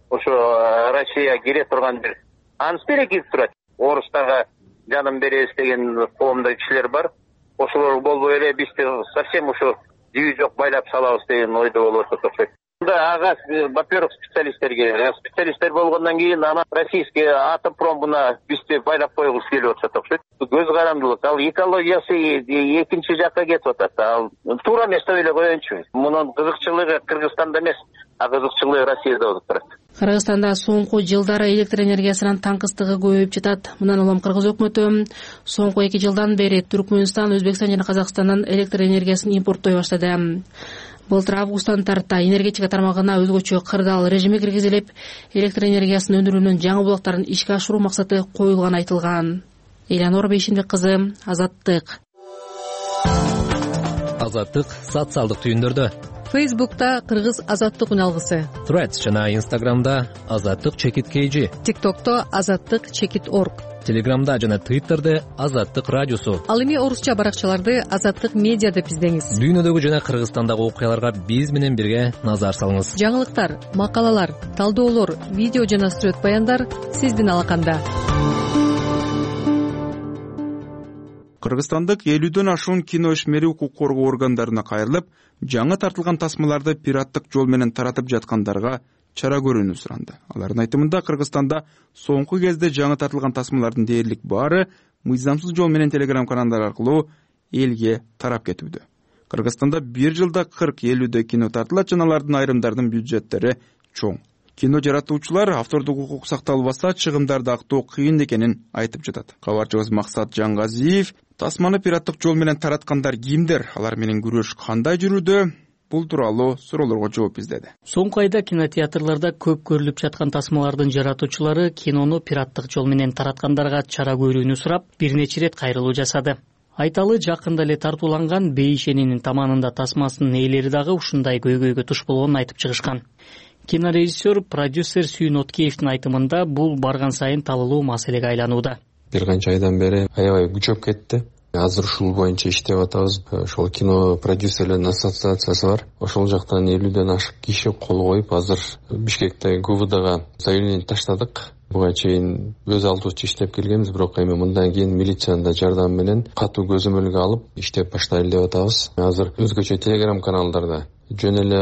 [SPEAKER 5] ошо Россия кире турган бир аныс берекип турат. Орустарга жанын беребиз деген коомдо кишилер бар. Ошолор болбой эле бизди совсем ушу жүйү жок байлап салабыз деген ойдо болуп атат. Ага, во-первых, специалисттер болгондон кийин анан российский атомпром мына бизди байлап койгусу келип атат окшойт. Көз карандылык, ал экологиясы экинчи жакка кетип атат. Ал туура эмес деп эле коеюнчу. Мунун кызыкчылыгы Кыргызстанда эмес, а кызыкчылыгы Россияда болуп турат.
[SPEAKER 17] Кыргызстанда соңку жылдары электр энергиясынын таңкыстыгы көбөйүп жатат. Мындан улам Кыргыз өкмөтү соңку 2 жылдан бери Түркмөнстан, Өзбекстан жана Казакстандан электр энергиясын импорттой баштады. Былтыр августтан тарта энергетика тармагына өзгөчө кырдаал режими киргизилип, электр энергиясын өндүрүүнүн жаңы булактарын ишке ашыруу максаты коюлганы айтылган. Элянор Бейшимбек кызы, Азаттык.
[SPEAKER 20] Азаттык социалдык түйүндөрдө.
[SPEAKER 1] Фейсбукта Кыргыз Азаттык үналгысы.
[SPEAKER 20] Threads жана Instagramда Азаттык чекит KG.
[SPEAKER 1] TikTokто Азаттык чекит org.
[SPEAKER 20] Телеграмда жана Twitterде Азаттык радиосу.
[SPEAKER 1] Ал эми орусча баракчаларды Азаттык медиа деп издеңиз.
[SPEAKER 20] Дүйнөдөгү жана Кыргызстандагы окуяларга биз менен бирге назар салыңыз.
[SPEAKER 1] Жаңылыктар, макалалар, талдоолор, видео жана сүрөт баяндар сиздин алаканда.
[SPEAKER 2] Кыргызстандык 50дөн ашуун кино ишмери укук коргоо органдарына кайрылып, жаңы тартылган тасмаларды пираттык жол менен таратып жаткандарга чара көрүүнү суранды. Алардын айтымында Кыргызстанда соңку кезде жаңы тартылган тасмалардын дээрлик баары мыйзамсыз жол менен телеграм каналдар аркылуу элге тарап кетүүдө. Кыргызстанда бир жылда 40-50 кино тартылат жана алардын айрымдарынын бюджеттери чоң. Кино жаратуучулар автордук укук сакталбаса чыгымдарды актоо кыйын экенин айтып жатат. Кабарчыбыз Максат Жаңгазиев тасманы пираттык жол менен тараткандар кимдер, алар менен күрөш кандай жүрүүдө? Бул тууралуу суроолорго жооп издеди.
[SPEAKER 21] Соңку айда кинотеатрларда көп көрүлүп жаткан тасмалардын жаратуучулары кинону пираттык жол менен тараткандарга чара көрүүнү сурап, бир нече ирет кайрылуу жасады. Айталы жакында эле тартууланган Бейшенинин таманында тасмасынын ээлери дагы ушундай көйгөйгө туш болгонун айтып чыгышкан. Кинорежиссер, продюсер Сүйүн Откеевдин айтымында бул барган сайын талылуу маселеге айланууда.
[SPEAKER 22] Бир канча айдан бери аябай күчөп кетти. Азыр ушул боюнча иштеп атабыз. Ошол кино продюсерлердин ассоциациясы бар. Ошол жактан 50ден ашык киши кол коюп, азыр Бишкектеги ГУВДга заявление таштадык. Буга чейин өз алдыбызча иштеп келгенбиз, бирок эми мындан кийин милициянын да жардамы менен катуу көзөмөлгө алып иштеп баштайлы деп атабыз. Азыр өзгөчө телеграм каналдарда жөн эле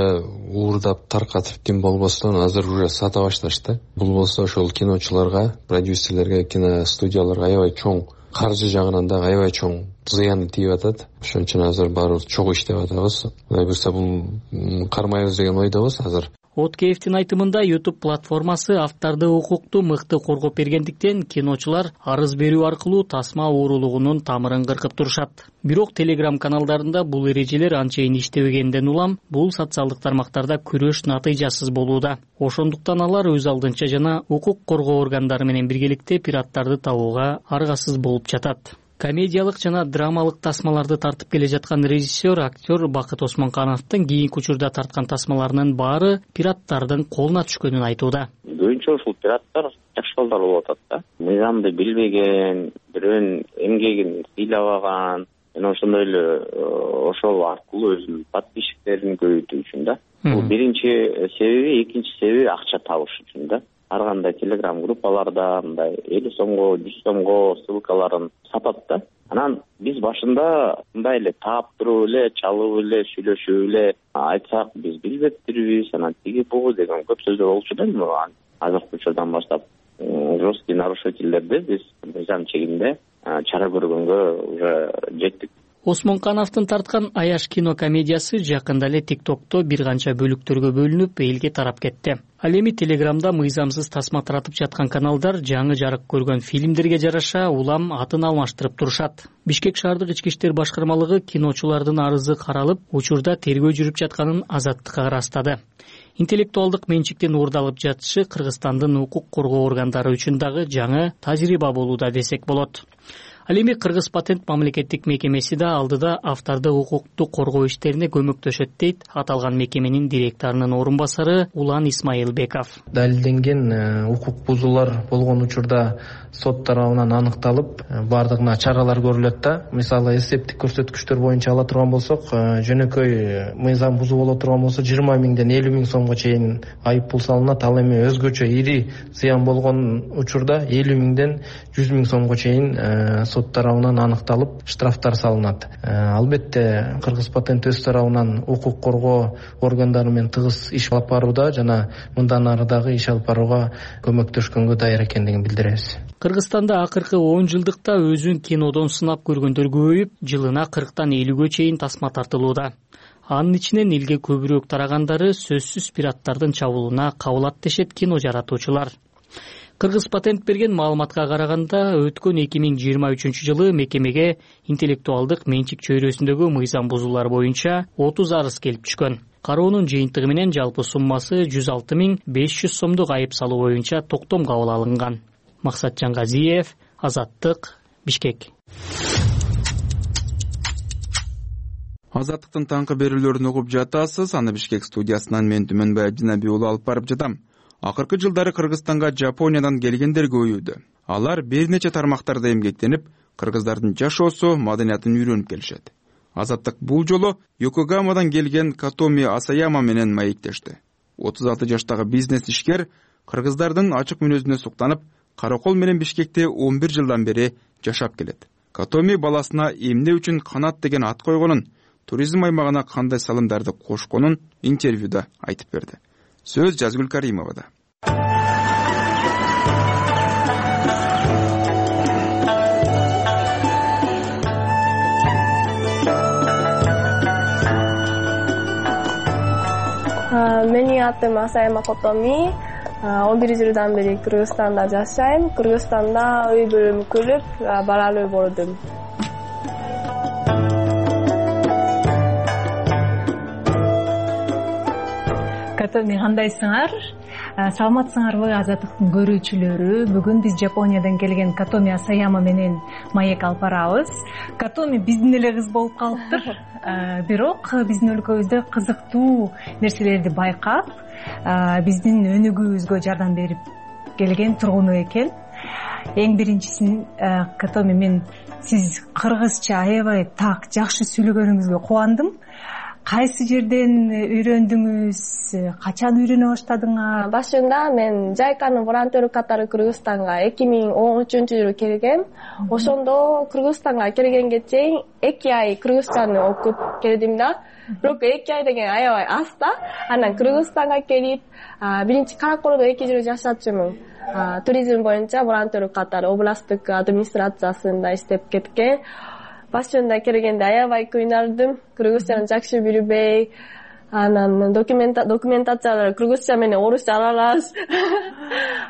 [SPEAKER 22] уурдап таркатып ким болбостон азыр уже сата башташты. Бул болсо ошол киночуларга, продюсерлерге, киностудияларга аябай чоң каржы жагынан да аябай чоң зыяны тийип атат. Ошон үчүн азыр баарыбыз чогуу иштеп атабыз. Кудай буйрса бул кармайбыз деген ойдобуз азыр.
[SPEAKER 21] Откеевдин айтымында YouTube платформасы автордук укукту мыкты коргоп бергендиктен киночулар арыз берүү аркылуу тасма уурулугунун тамырын кыркып турушат. Бирок Telegram каналдарында бул эрежелер анчейин иштебегенден улам бул социалдык тармактарда күрөш натыйжасыз болууда. Ошондуктан алар өз алдынча жана укук коргоо органдары менен биргеликте пираттарды табууга аргасыз болуп жатат. Комедиялык жана драмалык тасмаларды тартып келе жаткан режиссер, актер Бакыт Осмонкановдун кийинки учурда тарткан тасмаларынын баары пираттардын колуна түшкөнүн айтууда.
[SPEAKER 23] Көбүнчө ушул пираттар жакшы балдар болуп атат да. Мыйзамды билбеген, бирөөнүн эмгегин сыйлабаган, жана ошондой эле ошол аркылуу өзүнүн подписчиктерин көбөйтүү үчүн да. Бул биринчи себеби, экинчи себеби акча табыш үчүн да. Ар кандай телеграм группаларда мындай 50 сомго, 100 сомго ссылкаларын сатат да. Анан биз башында мындай эле таап туруп эле, чалып эле, сүйлөшүп эле айтсак биз билбептирбиз, анан тиги бугу деген көп сөздөр болчу да. Азыркы учурдан баштап жесткий нарушительдерди биз мыйзам чегинде чара көргөнгө уже жеттик.
[SPEAKER 21] Осмонкановдун тарткан Аяш кино комедиясы жакында эле TikTokто бир канча бөлүктөргө бөлүнүп элге тарап кетти. Ал эми Телеграмда мыйзамсыз тасма таратып жаткан каналдар жаңы жарык көргөн фильмдерге жараша улам атын алмаштырып турушат. Бишкек шаардык ички иштер башкармалыгы киночулардын арызы каралып, учурда тергөө жүрүп жатканын Азаттыкка ырастады. Интеллектуалдык менчиктин уурдалып жатышы Кыргызстандын укук коргоо органдары үчүн дагы жаңы тажрыйба болууда десек болот. Ал эми Кыргыз патент мамлекеттик мекемеси да алдыда автордук укукту коргоо иштерине көмөктөшөт дейт аталган мекеменин директорунун орун басары Улан Исмаилбеков.
[SPEAKER 24] Далилденген укук бузуулар болгон учурда сот тарабынан аныкталып, бардыгына чаралар көрүлөт да. Мисалы, эсептик көрсөткүчтөр боюнча ала турган болсок, жөнөкөй мыйзам бузуу боло турган болсо 20 миңден 50 миң сомго чейин айып пул салынат. Ал эми өзгөчө ири зыян болгон учурда 50 миңден 100 миң сомго чейин сот тарабынан аныкталып, штрафтар салынат. Албетте, Кыргыз патент өз тарабынан укук коргоо органдары менен тыгыз иш алып барууда жана мындан ары дагы иш алып барууга көмөктөшкөнгө даяр экендигин билдиребиз.
[SPEAKER 21] Кыргызстанда акыркы 10 жылдыкта өзүн кинодон сынап көргөндөр көбөйүп, жылына 40тан 50гө чейин тасма тартылууда. Анын ичинен элге көбүрөөк тарагандары сөзсүз пираттардын чабуулуна кабылат дешет кино жаратуучулар. Кыргыз патент берген маалыматка караганда, өткөн 2023-жылы мекемеге интеллектуалдык менчик чөйрөсүндөгү мыйзам бузуулар боюнча 30 арыз келип түшкөн. Кароонун жыйынтыгы менен жалпы суммасы 106.500 сомдук айып салуу боюнча токтом кабыл алынган. Максатжан Газиев, Азаттык, Бишкек.
[SPEAKER 2] Азаттыктын таңкы берүүлөрүн угуп жатасыз. Аны Бишкек студиясынан мен Түмөнбай Абдинаби уулу алып барып жатам. Акыркы жылдары Кыргызстанга Жапониядан келгендер көбөйүүдө. Алар бир нече тармактарда эмгектенип, кыргыздардын жашоосу, маданиятын үйрөнүп келишет. Азаттык бул жолу Йокогамадан келген Катоми Асаяма менен маектешти. 36 жаштагы бизнес ишкер кыргыздардын ачык мүнөзүнө суктанып, Каракол менен Бишкекте 11 жылдан бери жашап келет. Катоми баласына эмне үчүн Канат деген ат койгонун, туризм аймагына кандай салымдарды кошконун интервьюда айтып берди. Сөз Жазгүл Каримовада.
[SPEAKER 4] Менин атым Асаяма Котоми. 11 жылдан бери Кыргызстанда жашайм. Кыргызстанда үй бүлөм көрүп, балалуу болдум.
[SPEAKER 6] Катоми, кандайсыңар? Саламатсыңарбы Азаттыктын көрүүчүлөрү? Бүгүн биз Жапониядан келген Катоми Асаяма менен маек алып барабыз. Катоми биздин эле кыз болуп калыптыр. Бирок биздин өлкөбүздө кызыктуу нерселерди байкап, биздин өнүгүүбүзгө жардам берип келген тургуну экен. Эң биринчисин, Катоми, мен сиз кыргызча аябай так, жакшы сүйлөгөнүңүзгө кубандым. Кайсы жерден үйрөндүңүз? Качан үйрөнө баштадыңар?
[SPEAKER 4] Башында мен Жайканын волонтеру катары Кыргызстанга 2013-жылы келгем. Ошондо Кыргызстанга келгенге чейин 2 ай кыргызчаны окуп келдим да. Бирок 2 ай деген аябай аз да. Анан Кыргызстанга келип, биринчи Караколдо 2 жыл жашачумун. Туризм боюнча волонтеру катары областтык администрациясында иштеп кеткен. Башында келгенде аябай кыйнардым. Кыргызчаны жакшы билбей, анан документациялар кыргызча менен орусча аралаш.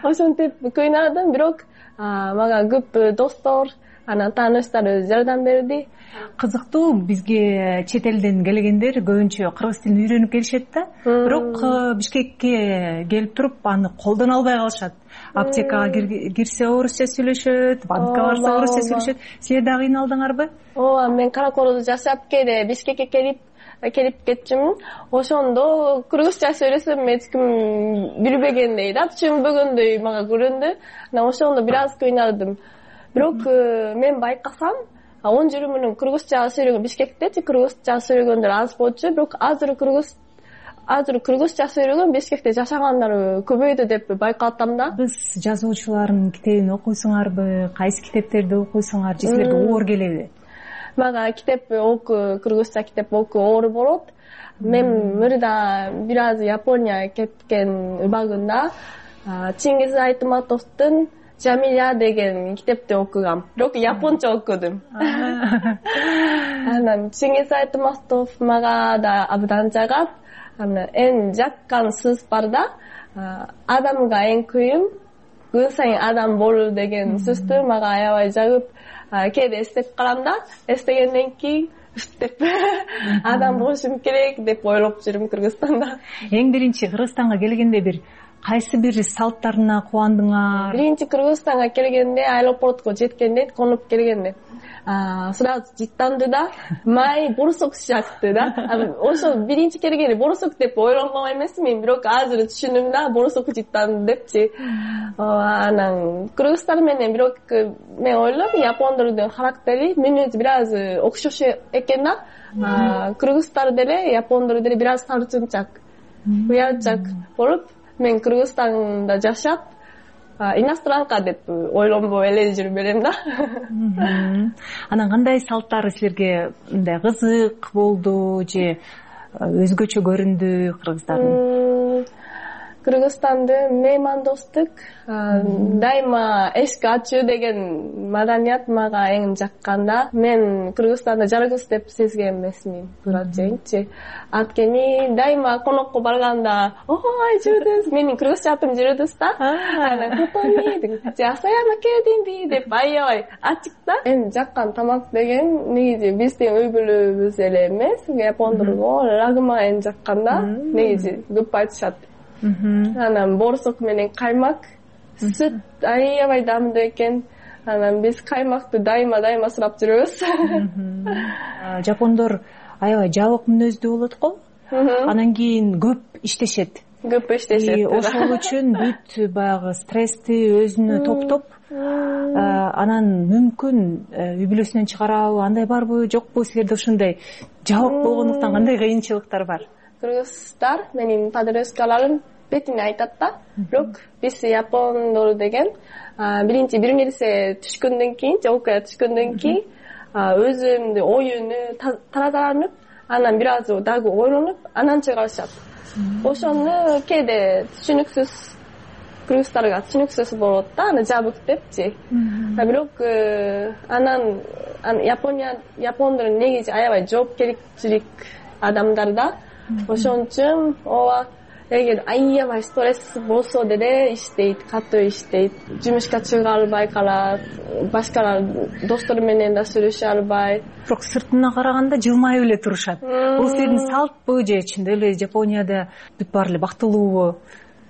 [SPEAKER 4] Ошентип кыйнадым, бирок мага көп достор, анан тааныштар жардам берди.
[SPEAKER 6] Кызыктуу, бизге чет элден келгендер көбүнчө кыргыз тилин үйрөнүп келишет да. Бирок Бишкекке келип туруп аны колдоно албай калышат. Аптекага кирсе орусча сүйлөшөт, банкка барса орусча сүйлөшөт. Силер да кыйналдыңарбы?
[SPEAKER 4] Ооба, мен Караколдо жашап келе Бишкекке келип кетчүмүн. Ошондо кыргызча сүйлөсөм эч ким билбегендей да, түшүнбөгөндөй мага көрүндү. Ошондо бир аз кыйналдым. Бирок мен байкасам, 10 жыл мурун кыргызча сүйлөгөн Бишкектечи кыргызча сүйлөгөндөр аз болчу, бирок азыр кыргызча сөйлөгөн Бишкекте жашагандар көбөйдү деп байкатам да.
[SPEAKER 6] Кыргыз жазуучулардын китебин окуйсуңарбы? Кайсы китептерди окуйсуңар? Же силерге оор келеби?
[SPEAKER 4] Мага кыргызча китеп окуу оор болот. Мен мурда бир аз Япония кеткен убагында Чингиз Айтматовдун Жамиля деген китепти окугам. Бирок японча окудум. Анан Чингиз Айтматов мага да абдан жагат. Эн жаккан сөз бар да, адамга эң кыйын күн сайын адам болуу деген сөздү мага аябай жагып, кээде эстеп карам да, эстегенден кийин деп адам болушум керек деп ойлоп жүрүм Кыргызстанда.
[SPEAKER 6] Эң биринчи Кыргызстанга келгенде кайсы бир салттарына кубандыңар?
[SPEAKER 4] Биринчи Кыргызстанга келгенде, аэропортко жеткенде, конуп келгенде сразу жыттанды да, май бурсук шакты да. Ошо биринчи келгенде бурсук деп ойлонгон эмесмин, бирок азыр түшүндүм да, бурсук жыттанды депчи. Анан кыргыздар менен бирок мен ойлойм, япондордун характери, мүнөзү бир аз окшош экен да. Кыргыздар деле, япондор деле бир аз тартынчак, уялчак болуп, мен Кыргызстанда жашап, иностранка деп ойлонбой эле жүрүп берем да.
[SPEAKER 6] Анан кандай салттары силерге мындай кызык болду же өзгөчө көрүндү кыргыздардын?
[SPEAKER 4] Кыргызстанды меймандостук, дайыма эшик ачуу деген маданият мага эң жакканда. Мен Кыргызстанда жалгыз деп сезген эмесмин, туура айтайынчы. Анткени дайыма конокко барганда, ой, жүрдүз, менин кыргызча атым жүрдүз да. Кутоми деп, Саяма келдимби деп аябай ачык да. Эң жаккан тамак деген негизи биздин үй бүлөбүз эле эмес, япондорго рагыма эң жаккан да. Негизи көп айтышат. Анан борсок менен каймак, сүт аябай дамдуу экен. Анан биз каймакты дайыма сурап жүрөбүз.
[SPEAKER 6] Жапондор аябай жабык мүнөздүү болот го. Анан кийин көп иштешет. Ошол үчүн бүт баягы стрессти өзүнө топтоп, анан мүмкүн үй бүлөсүнөн чыгарабы, андай барбы, жокпу, силерде ошондой жабык болгондуктан кандай кыйынчылыктар бар?
[SPEAKER 4] Кыргыздар менин подружкаларым бетине айтат да. Бирок биз япондор деген биринчи бир нерсе түшкөндөн кийин, же окуя түшкөндөн кийин өзүмдү оюну тазаланып, анан бир аз дагы ойлонуп, анан чыгарышат. Ошону кээде түшүнүксүз, кыргыздарга түшүнүксүз болот да, аны жабык депчи. Бирок анан япондор негизи аябай жоопкерчилик адамдар да. Ошон үчүн ооба эгер аябай стресс болсо деле иштейт, катуу иштейт. Жумушка чыга албай калат, башкалар достору менен да сүйлөшө албай.
[SPEAKER 6] Бирок сыртына караганда жылмайып эле турушат. Бул силердин салтпы же чындап эле Жапонияда бүт баары эле бактылуубу?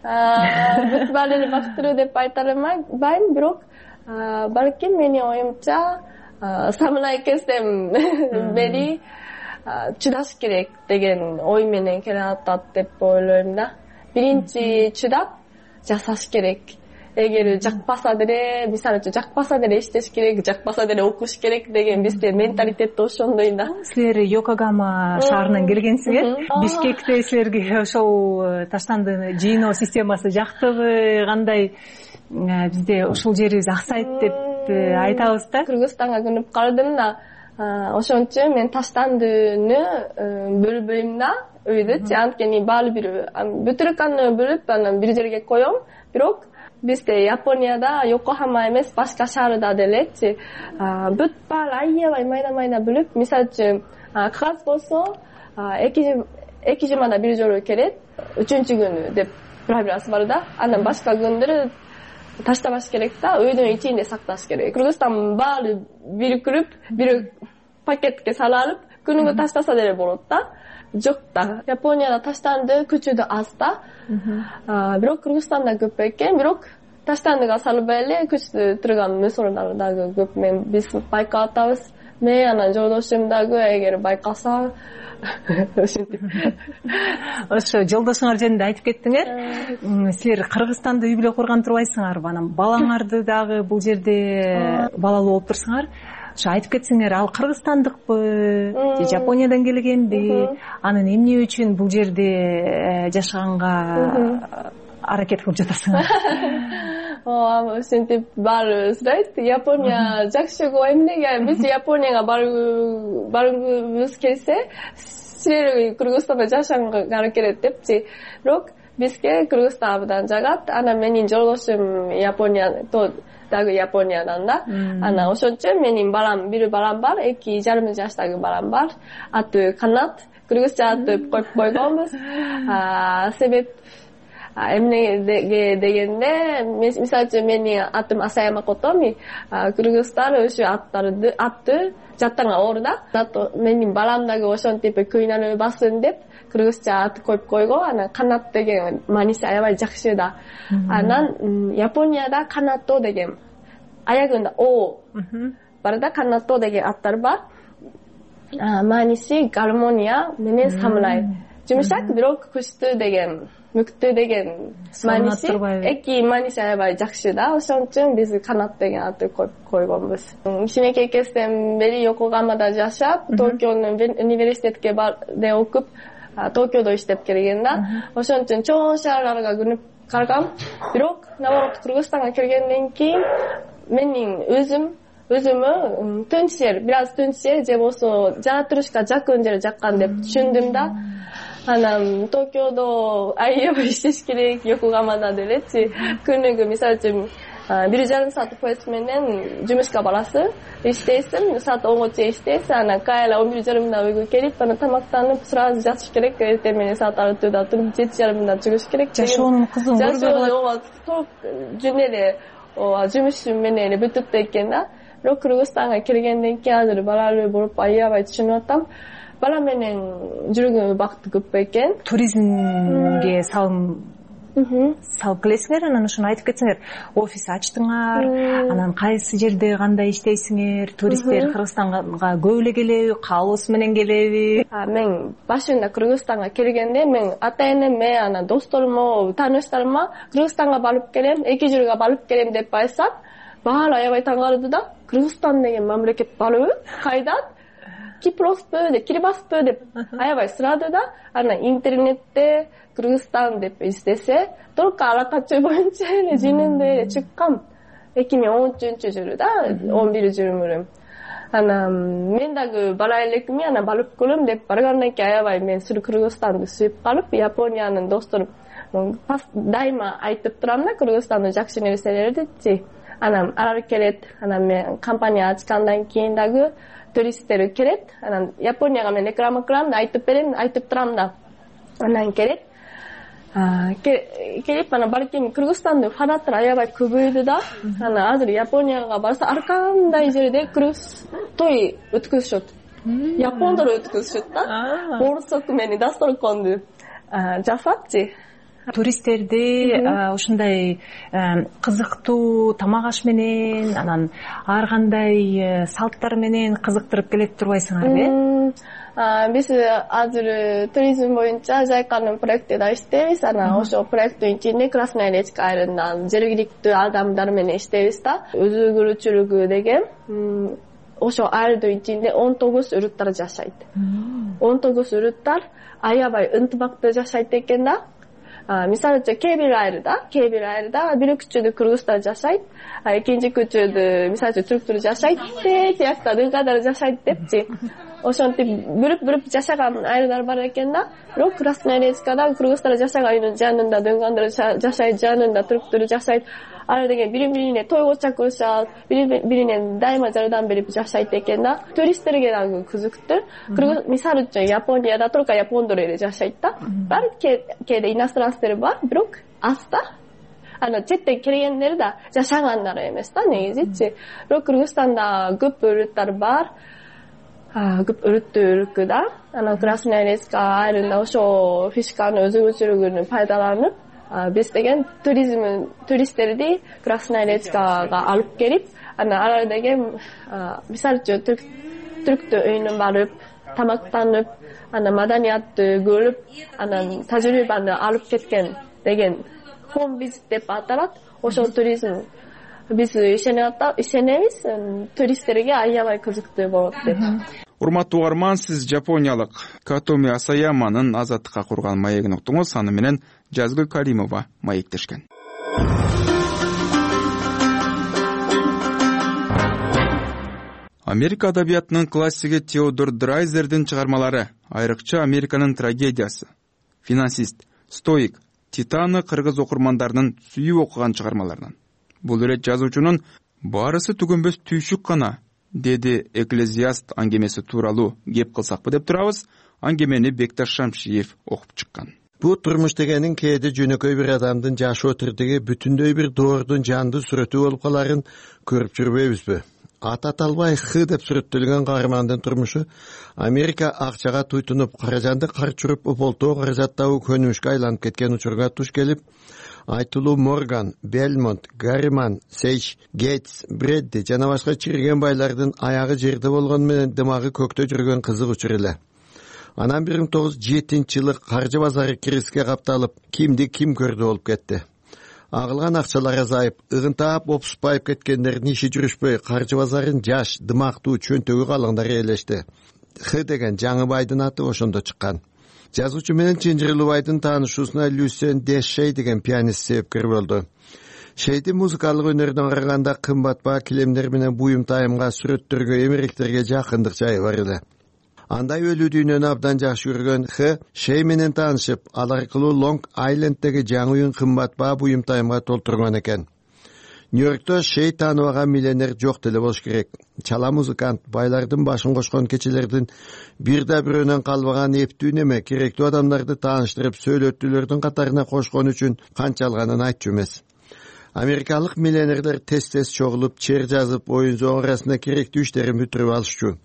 [SPEAKER 4] Бүт баары эле бактылуу деп айта албайм, бирок балким менин оюмча самурай кезден бери чыдаш керек деген ой менен келе атат деп ойлойм да. Биринчи чыдап жасаш керек. Эгер жакпаса деле, мисалы үчүн жакпаса деле иштеш керек, жакпаса деле окуш керек деген бизде менталитет ошондой да.
[SPEAKER 6] Силер Йокогама шаарынан келгенсиңер. Бишкекте силерге ошол таштанды жыйноо системасы жактыбы, кандай? Бизде ушул жерибиз аксайт деп айтабыз да.
[SPEAKER 4] Кыргызстанга күнүп калдым да. Ошон үчүн мен таштандыны бөлбөйм да үйдү. Анткени баары бир бүтүрканы бөлүп анан бир жерге коем. Бирок бизде Японияда Йокохама эмес, башка шаарда делечи бүт баары аябай майда бөлүп, мисалы үчүн кагаз болсо 2 жумада бир жолу келет, 3-күнү деп правиласы бар да. Анан башка күндөрү таштабаш керек да, үйдүн ичинде сакташ керек. Кыргызстан баары бирикирип, бир пакетке салып, күнүгө таштаса деле болот да. Жок да. Японияда таштанды күчү да аз да. Бирок Кыргызстанда көп экен, бирок таштандыга салбай эле күчтүү турган мусорлар дагы көп. Биз байкап атабыз. Мен анан жолдошум дагы эгер байкаса ошентип.
[SPEAKER 6] Ошо жолдошуңар жөнүндө айтып кеттиңер. Силер Кыргызстанда үй бүлө курган турбайсыңарбы? Анан балаңарды дагы бул жерде балалуу болуп турсуңар. Ошо айтып кетсеңер, ал кыргызстандыкпы же Жапониядан келгенби? Анан эмне үчүн бул жерде жашаганга аракет кылып жатасыңар?
[SPEAKER 4] Ошентип баары сурайт. Япония жакшы го, эмнеге биз Японияга баргыбыз келсе, силер Кыргызстанда жашаганга келет депчи. Бирок бизге Кыргызстан абдан жагат. Анан менин жолдошум дагы Япониядан да. Анан ошон үчүн менин бир балам бар, 2,5 жаштагы балам бар. Аты Канат. Кыргызча аты коюп койгонбуз. Себеп эмнеге дегенде, мисалы үчүн менин атым Асаяма Котоми, кыргыздар ошо атты жаттарга оор да. Менин балам дагы ошентип кыйналбасын деп кыргызча ат коюп койгон. Анан Канат деген мааниси аябай жакшы да. Анан Японияда Канато деген аягында о бар да, Канато деген аттар бар. Мааниси гармония менен самурай. Жумшак, бирок күчтүү деген, мүктүү деген мааниси, эки мааниси аябай жакшы да. Ошон үчүн биз Канат деген атты коюп койгонбуз. Кичинекей кезден бери Йокогамада жашап, Токионун университетке окуп, Токиодо иштеп келген да. Ошон үчүн чоң шаарларга күнүп калгам. Бирок наоборот Кыргызстанга келгенден кийин менин өзүмө тынч жер, бир аз тынч жер же болсо жаратылышка жакын жер жаккан деп түшүндүм да. анан Токиодо аябай иштеш керек, Йокогамада делечи. Күнүгө мисалы үчүн 1,5 саат поезд менен жумушка барасың, иштейсиң, саат 10га чейин иштейсиң, анан кайра 11:30 үйгө келип, анан тамактанып, сразу жатыш керек. Эртең менен саат 6:00 туруп 7:30 чыгыш керек.
[SPEAKER 6] Жашоонун кызыгын көрбөй калат.
[SPEAKER 4] Толук жөн эле жумуш менен эле бүтүп экен да. Бирок Кыргызстанга келгенден кийин азыр балалуу болуп аябай түшүнүп атам. Бала менен жүргөн убакыт көп экен.
[SPEAKER 6] Туризмге салып келесиңер, анан ошону айтып кетсеңер. Офис ачтыңар, анан кайсы жерде кандай иштейсиңер? Туристтер Кыргызстанга көп эле келеби, каалоосу менен келеби?
[SPEAKER 4] Мен башында Кыргызстанга келгенде мен ата-энеме, анан досторума, тааныштарыма Кыргызстанга барып келем, 2 жылга барып келем деп айтсам, баары аябай таң калды да. Кыргызстан деген мамлекет барбы? Кайдан? Кипроспу деп, Кирбаспу деп аябай сурады да. Анан интернетте Кыргызстан деп издесе, только ара качуу боюнча эле жөнүндө эле чыккан. 2013-жылы да, 11-жылы. Анан мен дагы бара элекми, анан барып көрөм деп баргандан кийин аябай мен Кыргызстанды сүйүп калып, Япониянын досторум дайыма айтып турам да, Кыргызстандын жакшы нерселерди. Анан алар келет, анан мен компания ачкандан кийин дагы туристтер келет. Анан Японияга мен реклама кылам да, айтып берем, айтып турам да. Анан келет. Келип анан балким Кыргызстандын фанаттары аябай көбөйдү да. Анан азыр Японияга барса ар кандай жерде той өткөзүшөт. Япондор өткөзүшөт да. Борсок менен дасторконду жасапчы.
[SPEAKER 6] Туристтерди ушундай кызыктуу тамак аш менен, анан ар кандай салттар менен кызыктырып келет турбайсыңарбы?
[SPEAKER 4] Биз азыр туризм боюнча Жайканын проектиде иштейбиз. Анан ошол проекттин ичинде Красная Речка айылында жергиликтүү адамдар менен иштейбиз да. Өзгөрүүчүлүгү деген ошол айылдын ичинде 19 үрүттар жашайт. 19 үрүттар аябай ынтымактуу жашайт экен да. Мисалы үчүн кээ бир айылда бир күчөдө кыргыздар жашайт, экинчи күчөдө мисалы үчүн түрктөр жашайт, тиякта дыйкадар жашайт депчи. Ошентип бүрүп жашаган айылдар бар экен да. Бирок Красная Речкада кыргыздар жашаганын жанында дыйкандар жашайт, жанында түрктөр жашайт. Алар деген бири-бирине тойго чакырышат, бири-бирине дайыма жардам берип жашайт экен да. Туристтерге дагы кызыктуу. Мисалы үчүн Японияда только япондор эле жашайт да. Бар кээде иностранцтер бар, бирок аз да. Анан четтен келгендер да жашагандар эмес да негизичи. Бирок Кыргызстанда көп өрүттөр бар. Көп өрүттүү да. Анан Красная Речка айылында ошо фишканын өзгөчөлүгүн пайдаланып, биз деген туристтерди Красная Речкага алып келип, анан алар деген мисалы үчүн түрктүү үйүнө барып, тамактанып, анан маданиятты көрүп, анан тажрыйбаны алып кеткен деген home visit деп аталат. Ошол туризм биз ишенебиз, туристтерге аябай кызыктуу болот деп.
[SPEAKER 2] Урматтуу угарман, сиз жапониялык Катоми Асаяманын азаттыкка курган маегин уктуңуз. Аны менен Жазгүл Каримова маектешкен. Америка адабиятынын классиги Теодор Драйзердин чыгармалары, айрыкча Американын трагедиясы, Финансист, Стоик, Титаны кыргыз окурмандарынын сүйүп окуган чыгармаларынан. Бул ирет жазуучунун баарысы түгөнбөс түйшүк гана, деди Экклезиаст аңгемеси тууралуу кеп кылсакпы деп турабыз. Аңгемени Бекташ Шамшиев окуп чыккан.
[SPEAKER 3] Бул турмуш дегенин кээде жөнөкөй бир адамдын жашоо тирдиги бүтүндөй бир доордун жандуу сүрөтү болуп каларын көрүп жүрбөйбүзбү? Ат аталбай Х деп сүрөттөлгөн каармандын турмушу Америка акчага туйтунуп, каражанды карчуруп, уполтоо каражаттабы көнүмүшкө айланып кеткен учурга туш келип, айтылуу Морган, Белмонт, Гарриман, Сейч, Гейтс, Бредди жана башка чирген байлардын аягы жерде болгону менен дымагы көктө жүргөн кызык учур эле. Анан 1907-жылы каржы базары кризиске капталып, кимди ким көрдү болуп кетти. Агылган акчалар азайып, ыгынтаап опуспайып кеткендердин иши жүрүшпөй, каржы базарын жаш, дымактуу, чөнтөгү калыңдар ээлешти. Х деген жаңы байдын аты ошондо чыккан. Жазуучу менен Чынжырлыбайдын таанышуусуна Люсен Дешей деген пианист себепкер болду. Шейдин музыкалык өнөрүнө караганда кымбат баа килемдер менен буюм тайымга, сүрөттөргө, эмеректерге жакындык жайы бар эле. Андай өлүү дүйнөнү абдан жакшы көргөн Х Шей менен таанышып, ал аркылуу Лонг Айленддеги жаңы уюн кымбат баа буюм тайымга толтурган экен. Нью-Йоркто Шей тааныбаган миллионер жок деле болуш керек. Чала музыкант, байлардын башын кошкон кечелердин бирде бирөөнөн калбаган эптүү неме керектүү адамдарды тааныштырып, сөйлөтүүлөрдүн катарына кошкон үчүн канча алганын айтчу эмес. Америкалык миллионерлер тез чогулуп, чер жазып, оюн зоо арасында керектүү иштерин бүтүрүп алышчу.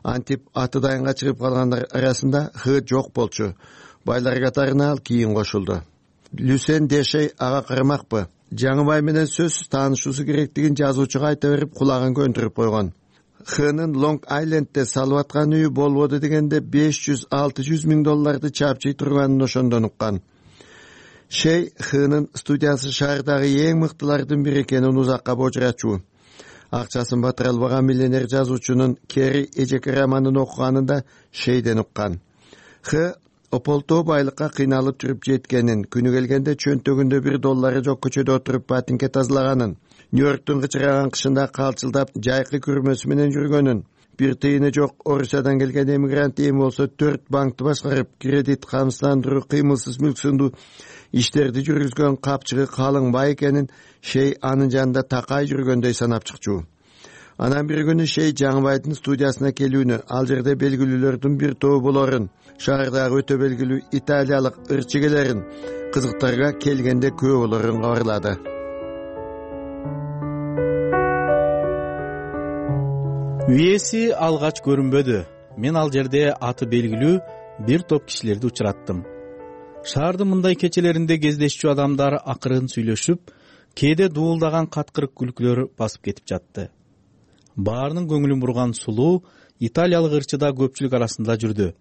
[SPEAKER 3] Антип аты дайынга чыгып калгандар арасында Х жок болчу. Байлар катарына ал кийин кошулду. Люсен Дешей ага карамакпы? Жаңы бай менен сөзсүз таанышуусу керектигин жазуучуга айта берип, кулагын көндүрүп койгон. Хнын Лонг Айлендде салып аткан үйү болбоду дегенде $500-600 миң чапчый турганын ошондон уккан. Шей Хнын студиясы шаардагы эң мыктылардын бири экенин узакка божуратчу. Акчасын батыра албаган миллионер жазуучунун Кери эжеке романын окуганында Шейден уккан. Х ополтоо байлыкка кыйналып жүрүп жеткенин, күнү келгенде чөнтөгүндө $1 жок көчөдө отуруп патинке тазалаганын, Нью-Йорктун кычыраган кышында калчылдап жайкы күрмөсү менен жүргөнүн, бир тыйыны жок Орусиядан келген эмигрант эми болсо 4 банкты башкарып, кредит камсыздандыруу, кыймылсыз мүлк сындуу иштерди жүргүзгөн капчыгы калың бай экенин Шей анын жанында такай жүргөндөй санап чыкчу. Анан бир күнү Шей Жаңыбайдын студиясына келүүнү, ал жерде белгилүүлөрдүн бир тобу болорун, шаардагы өтө белгилүү италиялык ырчыгелерин, кызыктарга келгенде көп болорун кабарлады.
[SPEAKER 7] Үйеси алгач көрүнбөдү. Мен ал жерде аты белгилүү бир топ кишилерди учураттым. Шаардын мындай кечелеринде кездешчү адамдар акырын сүйлөшүп, кээде дуулдаган каткырык күлкүлөр басып кетип жатты. Баарынын көңүлүн бурган сулуу италиялык ырчыда көпчүлүк арасында жүрдү.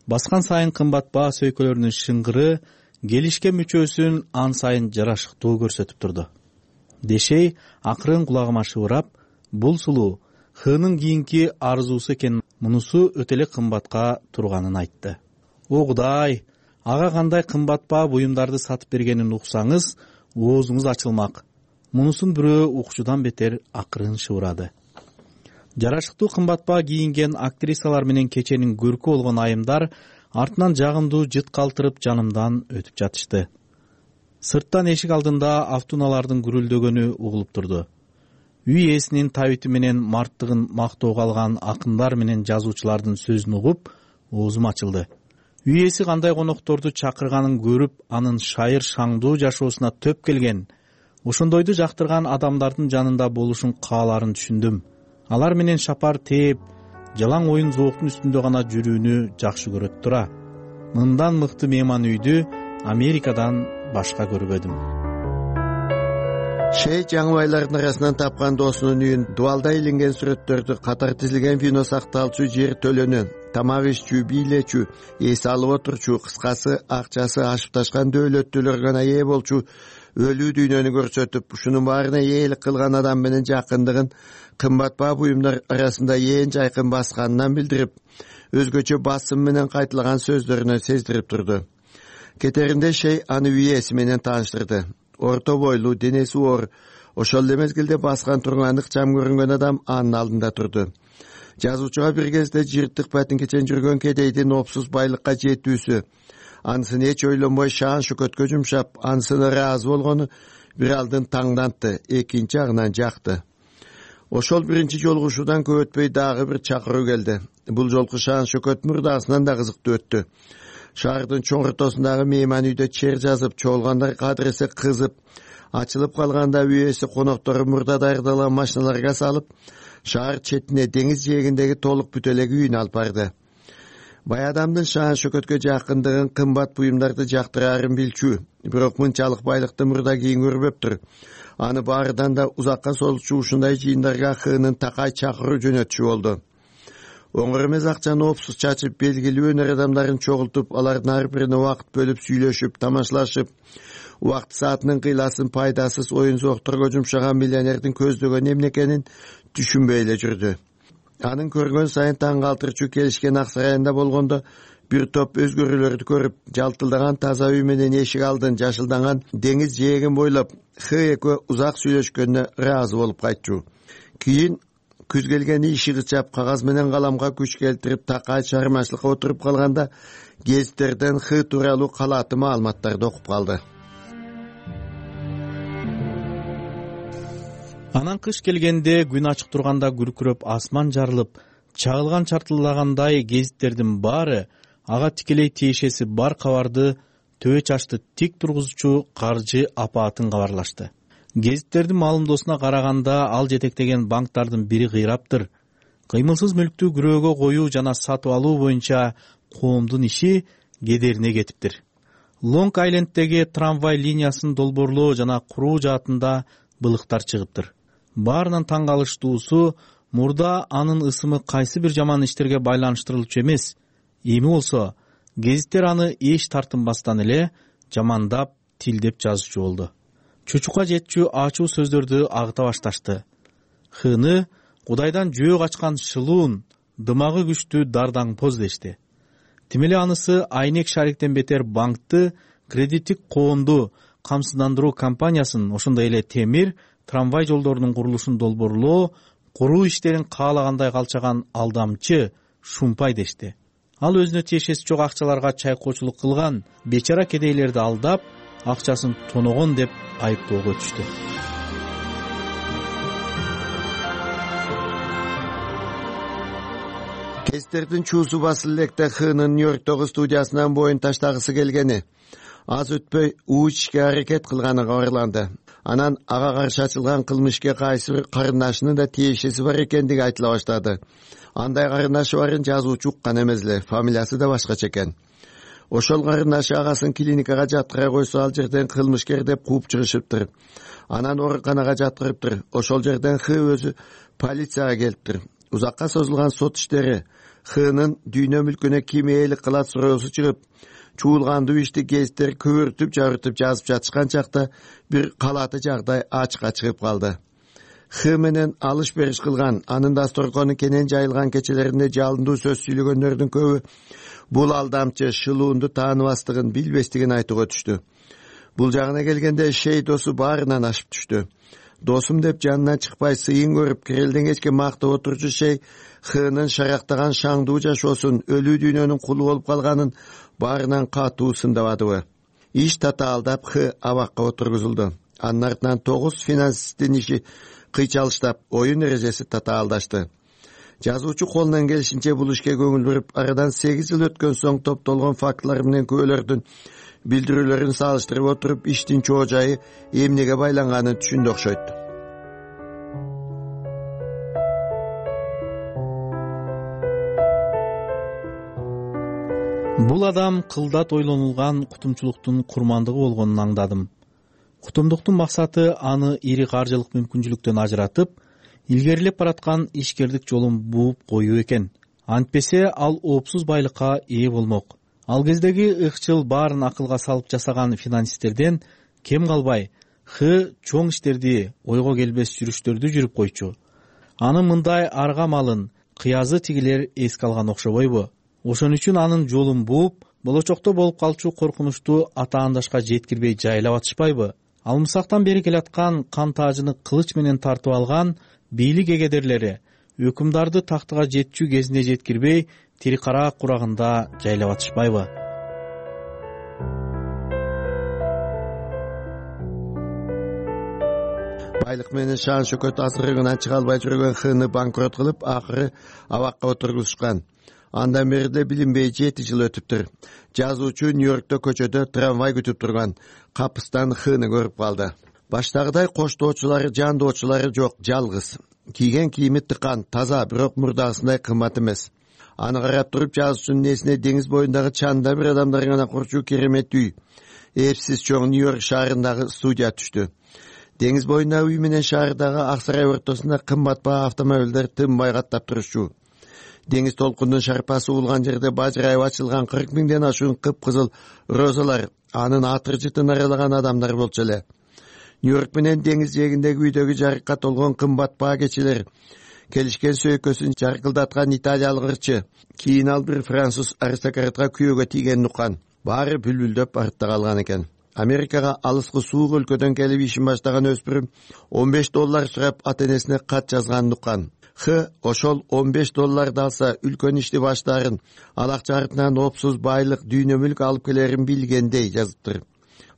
[SPEAKER 7] Баскан сайын кымбат баа сөйкөлөрүнүн шыңгыры келишкен мүчөсүн ан сайын жарашыктуу көрсөтүп турду. Дешей акырын кулагыма шыбырап, бул сулуу Хнын кийинки арзуусу экен, мунусу өтө эле кымбатка турганын айтты. О Кудай, ага кандай кымбат баа буюмдарды сатып бергенин уксаңыз, оозуңуз ачылмак. Мунусун бирөө укчудан бетер акырын шыбырады. Жарашыктуу кымбат баа кийинген актрисалар менен кеченин көркү болгон айымдар артынан жагымдуу жыт калтырып жанымдан өтүп жатышты. Сырттан эшик алдында автуналардын гүрүлдөгөнү угулуп турду. Үй ээсинин табити менен марттыгын мактоого алган акындар менен жазуучулардын сөзүн угуп, оозум ачылды. Үй ээси кандай конокторду чакырганын көрүп, анын шайыр шаңдуу жашоосуна төп келген, ошондойду жактырган адамдардын жанында болушун кааларын түшүндүм. Алар менен шапар тээп, жалаң оюн зооктун үстүндө гана жүрүүнү жакшы көрөт тура. Мындан мыкты мейман үйдү Америкадан башка көрбөдүм.
[SPEAKER 3] Шей Жаңыбайлардын арасынан тапкан досунун үйүн, дубалда илинген сүрөттөрдү, катар тизилген вино сакталчу жер төлөнү, тамак иччү, бийлечү, эс алып отурчу, кыскасы акчасы ашып ташкан дөөлөттүүлөр гана ээ болчу өлүү дүйнөнү көрсөтүп, ушунун баарына ээлик кылган адам менен жакындыгын кымбат баа буюмдар арасында ээн жайкын басканынан билдирип, өзгөчө басым менен кайталаган сөздөрүнөн сездирип турду. Кетеринде Шей аны үй ээси менен тааныштырды. Орто бойлуу, денеси оор, ошол эле мезгилде баскан турган ыкчам көрүнгөн адам анын алдында турду. Жазуучуга бир кезде жыртык патинкечен жүргөн кедейдин опсуз байлыкка жетүүсү, анысын эч ойлонбой шаан шөкөткө жумшап, анысына ыраазы болгону бир алдын таңдантты, экинчи агынан жакты. Ошол биринчи жолугушуудан көп өтпөй дагы бир чакыруу келди. Бул жолку шаан шөкөт мурдагысынан да кызыктуу өттү. Шаардын чоң ортосундагы мейман үйдө чер жазып, чогулгандар кадыресе кызып, ачылып калганда үй ээси коноктору мурда даярдалган машиналарга салып, шаар четине деңиз жээгиндеги толук бүт элек үйүнө алып барды. Бай адамдын шаан шөкөткө жакындыгын, кымбат буюмдарды жактыраарын билчү, бирок мынчалык байлыкты мурда кийин көрбөптүр. Аны баарыдан да узакка созулчу ушундай жыйындарга Хнын такай чакыруу жөнөтчү болду. Оңор эмес акчаны опсуз чачып, белгилүү өнөр адамдарын чогултуп, алардын ар бирине убакыт бөлүп сүйлөшүп, тамашалашып, убакыт саатынын кыйласын пайдасыз оюн зоокторго жумшаган миллионердин көздөгөн эмне экенин түшүнбөй эле жүрдү. Анын көргөн сайын таң калтырчу келишкен ак сарайында болгондо бир топ өзгөрүүлөрдү көрүп, жалтылдаган таза үй менен эшик алдын жашылданган деңиз жээгин бойлоп Х экөө узак сүйлөшкөнүнө ыраазы болуп кайтчу. Кийин Күз келгени ишиги чап, кагаз менен каламга күч келтирип, такай чыгармачылыкка отуруп калганда гезиттерден Х тууралуу калааты маалыматтарды окуп калды.
[SPEAKER 7] Анан кыш келгенде күн ачык турганда күркүрөп асман жарылып, чагылган чартылдагандай гезиттердин баары ага тикелей тиешеси бар кабарды төбө чачты тик тургузуучу каржы апаатын кабарлашты. Гезиттердин маалымдоосуна караганда ал жетектеген банктардын бири кыйраптыр. Кыймылсыз мүлктү күрөөгө коюу жана сатып алуу боюнча коомдун иши кедерине кетиптир. Лонг Айленддеги трамвай линиясын долбоорлоо жана куруу жаатында былыктар чыгыптыр. Баарынан таң калыштуусу, мурда анын ысымы кайсы бир жаман иштерге байланыштырылчу эмес. Эми болсо, гезиттер аны эч тартынбастан эле жамандап, тилдеп жазуучу болду. Чучукка жетчү ачуу сөздөрдү агыта башташты. Хыны Кудайдан жөө качкан шылуун, дымагы күчтүү дардаңпоз дешти. Тимеле анысы Айнек Шариктен бетер банкты, кредиттик коомду камсыздандыруу компаниясын, ошондой эле темир, трамвай жолдорунун курулушун долбоорлоо, куруу иштерин каалагандай калчаган алдамчы, шумпай дешти. Ал өзүнө тиешеси жок акчаларга чайкоочулук кылган, бечара кедейлерди алдап, акчасын тоногон деп айыптоого түштү.
[SPEAKER 3] Кездердин чуусу басыл электе Хынын Нью-Йорктогу студиясынан боюн таштагысы келгени, аз өтпөй уучке аракет кылганы кабарланды. Анан ага каршы ачылган кылмышка кайсы бир карындашынын да тиешеси бар экендиги айтыла баштады. Андай карындашы барын жазуучу уккан эмес эле, фамилиясы да башкача экен. Ошол карындашы агасын клиникага жаткыра койсо, ал жерден кылмышкер деп кууп чыгышыптыр. Анан ооруканага жаткырыптыр. Ошол жерден Х өзү полицияга келиптир. Узакка созулган сот иштери Хынын дүйнө мүлкүнө ким ээлик кылат суроосу чыгып, чуулгандуу ишти гезиттер көбүртүп жазып жатышкан чакта бир калааты жагдай ачыкка чыгып калды. Х менен алыш бериш кылган, анын дасторкону кенен жайылган кечелеринде жалындуу сөз сүйлөгөндөрдүн көбү бул алдамчы шылуунду тааныбастыгын, билбестигин айтууга түштү. Бул жагына келгенде Шей досу баарынан ашып түштү. Досум деп жанынан чыкпай сыйын көрүп, кирелден кечке мактап отурчу Шей Хынын шарактаган шаңдуу жашоосун, өлүү дүйнөнүн кулу болуп калганын баарынан катуу сындабадыбы. Иш татаалдап Х абакка отургузулду. Анын артынан 9 финансисттин иши кыйчалыштап, оюн эрежеси татаалдашты. Жазуучу колунан келишинче бул ишке көңүл буруп, арадан 8 жыл өткөн соң топтолгон фактылар менен күбөлөрдүн билдирүүлөрүн салыштырып отуруп, иштин чоо жайы эмнеге байланганын түшүндү окшойт.
[SPEAKER 7] Бул адам кылдат ойлонулган кутумчулуктун курмандыгы болгонун аңдадым. Кутумдуктун максаты аны ири каржылык мүмкүнчүлүктөн ажыратып, илгерилеп бараткан ишкердик жолун бууп коюу экен. Антпесе ал оопсуз байлыкка ээ болмок. Ал кездеги ыкчыл баарын акылга салып жасаган финансисттерден кем калбай, Х чоң иштерди, ойго келбес жүрүштөрдү жүрүп койчу. Анын мындай арга малын кыязы тигилер эске алган окшобойбу? Ошон үчүн анын жолун бууп, болочокто болуп калчу коркунучту атаандашка жеткирбей жайлап атышпайбы? Алмысактан бери келаткан кан таажыны кылыч менен тартып алган бийлик эгедерлери өкүмдарды тактыга жетчү кезине жеткирбей, тири кара курагында жайлап атышпайбы?
[SPEAKER 3] Байлык менен шаан шөкөт азырыгынан чыга албай жүргөн Хны банкрот кылып, акыры абакка отургузушкан. Андан бери да билинбей 7 жыл өтүптүр. Жазуучу Нью-Йоркто көчөдө трамвай күтүп турган капыстан Хны көрүп калды. Баштагыдай коштоочулары, жандоочулары жок, жалгыз. Кийген кийими тыкан, таза, бирок мурдагысындай кымбат эмес. Аны карап туруп жазуучунун эсине деңиз боюндагы чанда бир адамдар гана курчу керемет үй, эпсиз чоң Нью-Йорк шаарындагы студия түштү. Деңиз боюндагы үй менен шаардагы ак сарай ортосунда кымбат баа автомобилдер тынбай каттап турушчу. Деңиз толкундун шарпасы улган жерде бажырайып ачылган 40 миңден ашуун кыпкызыл розалар, анын атыр-жытын аралаган адамдар болчу эле. Нью-Йорк менен деңиз жээгиндеги үйдөгү жарыкка толгон кымбат баа кечелер, келишкен сөйкөсүн жаркылдаткан италиялык ырчы, кийин ал бир француз аристократка күйөөгө тийгенин уккан. Баары бүлбүлдөп артта калган экен. Америкага алыскы суук өлкөдөн келип ишин баштаган өспүрүм $15 сурап ата-энесине кат жазганын уккан. ошол $15 алса үлкөн ишти баштаарын, ал акча артынан опсуз байлык, дүйнө мүлк алып келерин билгендей жазыптыр.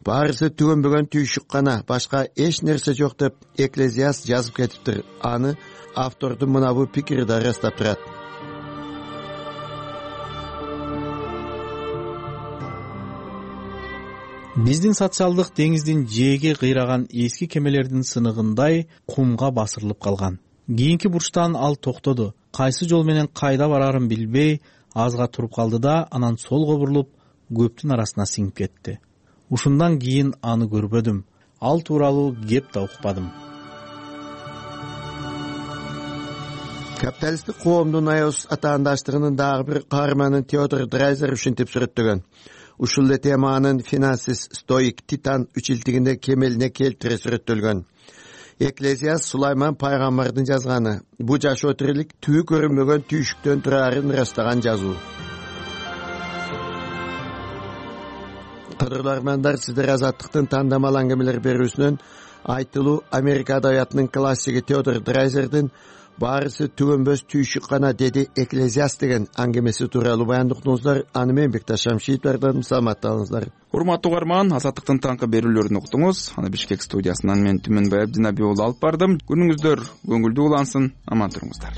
[SPEAKER 3] Баарысы түгөнбөгөн түйшүк гана, башка эч нерсе жок деп Экклезиаст жазып кетиптир. Аны автордун мына бу пикири да ырастап турат.
[SPEAKER 7] Биздин социалдык деңиздин жээге кыйраган эски кемелердин сыныгындай кумга басырылып калган. Кийинки бурчтан ал токтоду. Кайсы жол менен кайда барарын билбей, азга туруп калды да, анан солго бурулуп, көптүн арасына сиңип кетти. Ушундан кийин аны көрбөдүм. Ал тууралуу кеп да укпадым.
[SPEAKER 3] Капиталисттик коомдун аябыз атаандаштыгынын дагы бир каарманын Теодор Драйзер ушинтип сүрөттөгөн. Ушул эле теманын финансист стоик Титан үчилтигинде кемелине келтире сүрөттөлгөн. Экклезиаст Сулайман пайгамбардын жазганы. Бу жашоо тирилик түбү көрүнбөгөн түйшүктөн турарын ырастаган жазуу. Кадырлармандар, сиздер Азаттыктын тандамал аңгемелер берүүсүнөн айтылуу Америка адабиятынын классиги Теодор Драйзердин баарысы түгөнбөс түйшүк гана деди Экклезиаст деген аңгемеси тууралуу баяндыктыңыздар. Аны мен Бекташ Шамшиевдерден саламатталыңыздар.
[SPEAKER 2] Урматтуу угарман, Азаттыктын таңкы берүүлөрүн уктуңуз. Аны Бишкек студиясынан мен Түмөнбай Абдинаби уулу алып бардым. Күнүңүздөр көңүлдүү улансын, аман туруңуздар.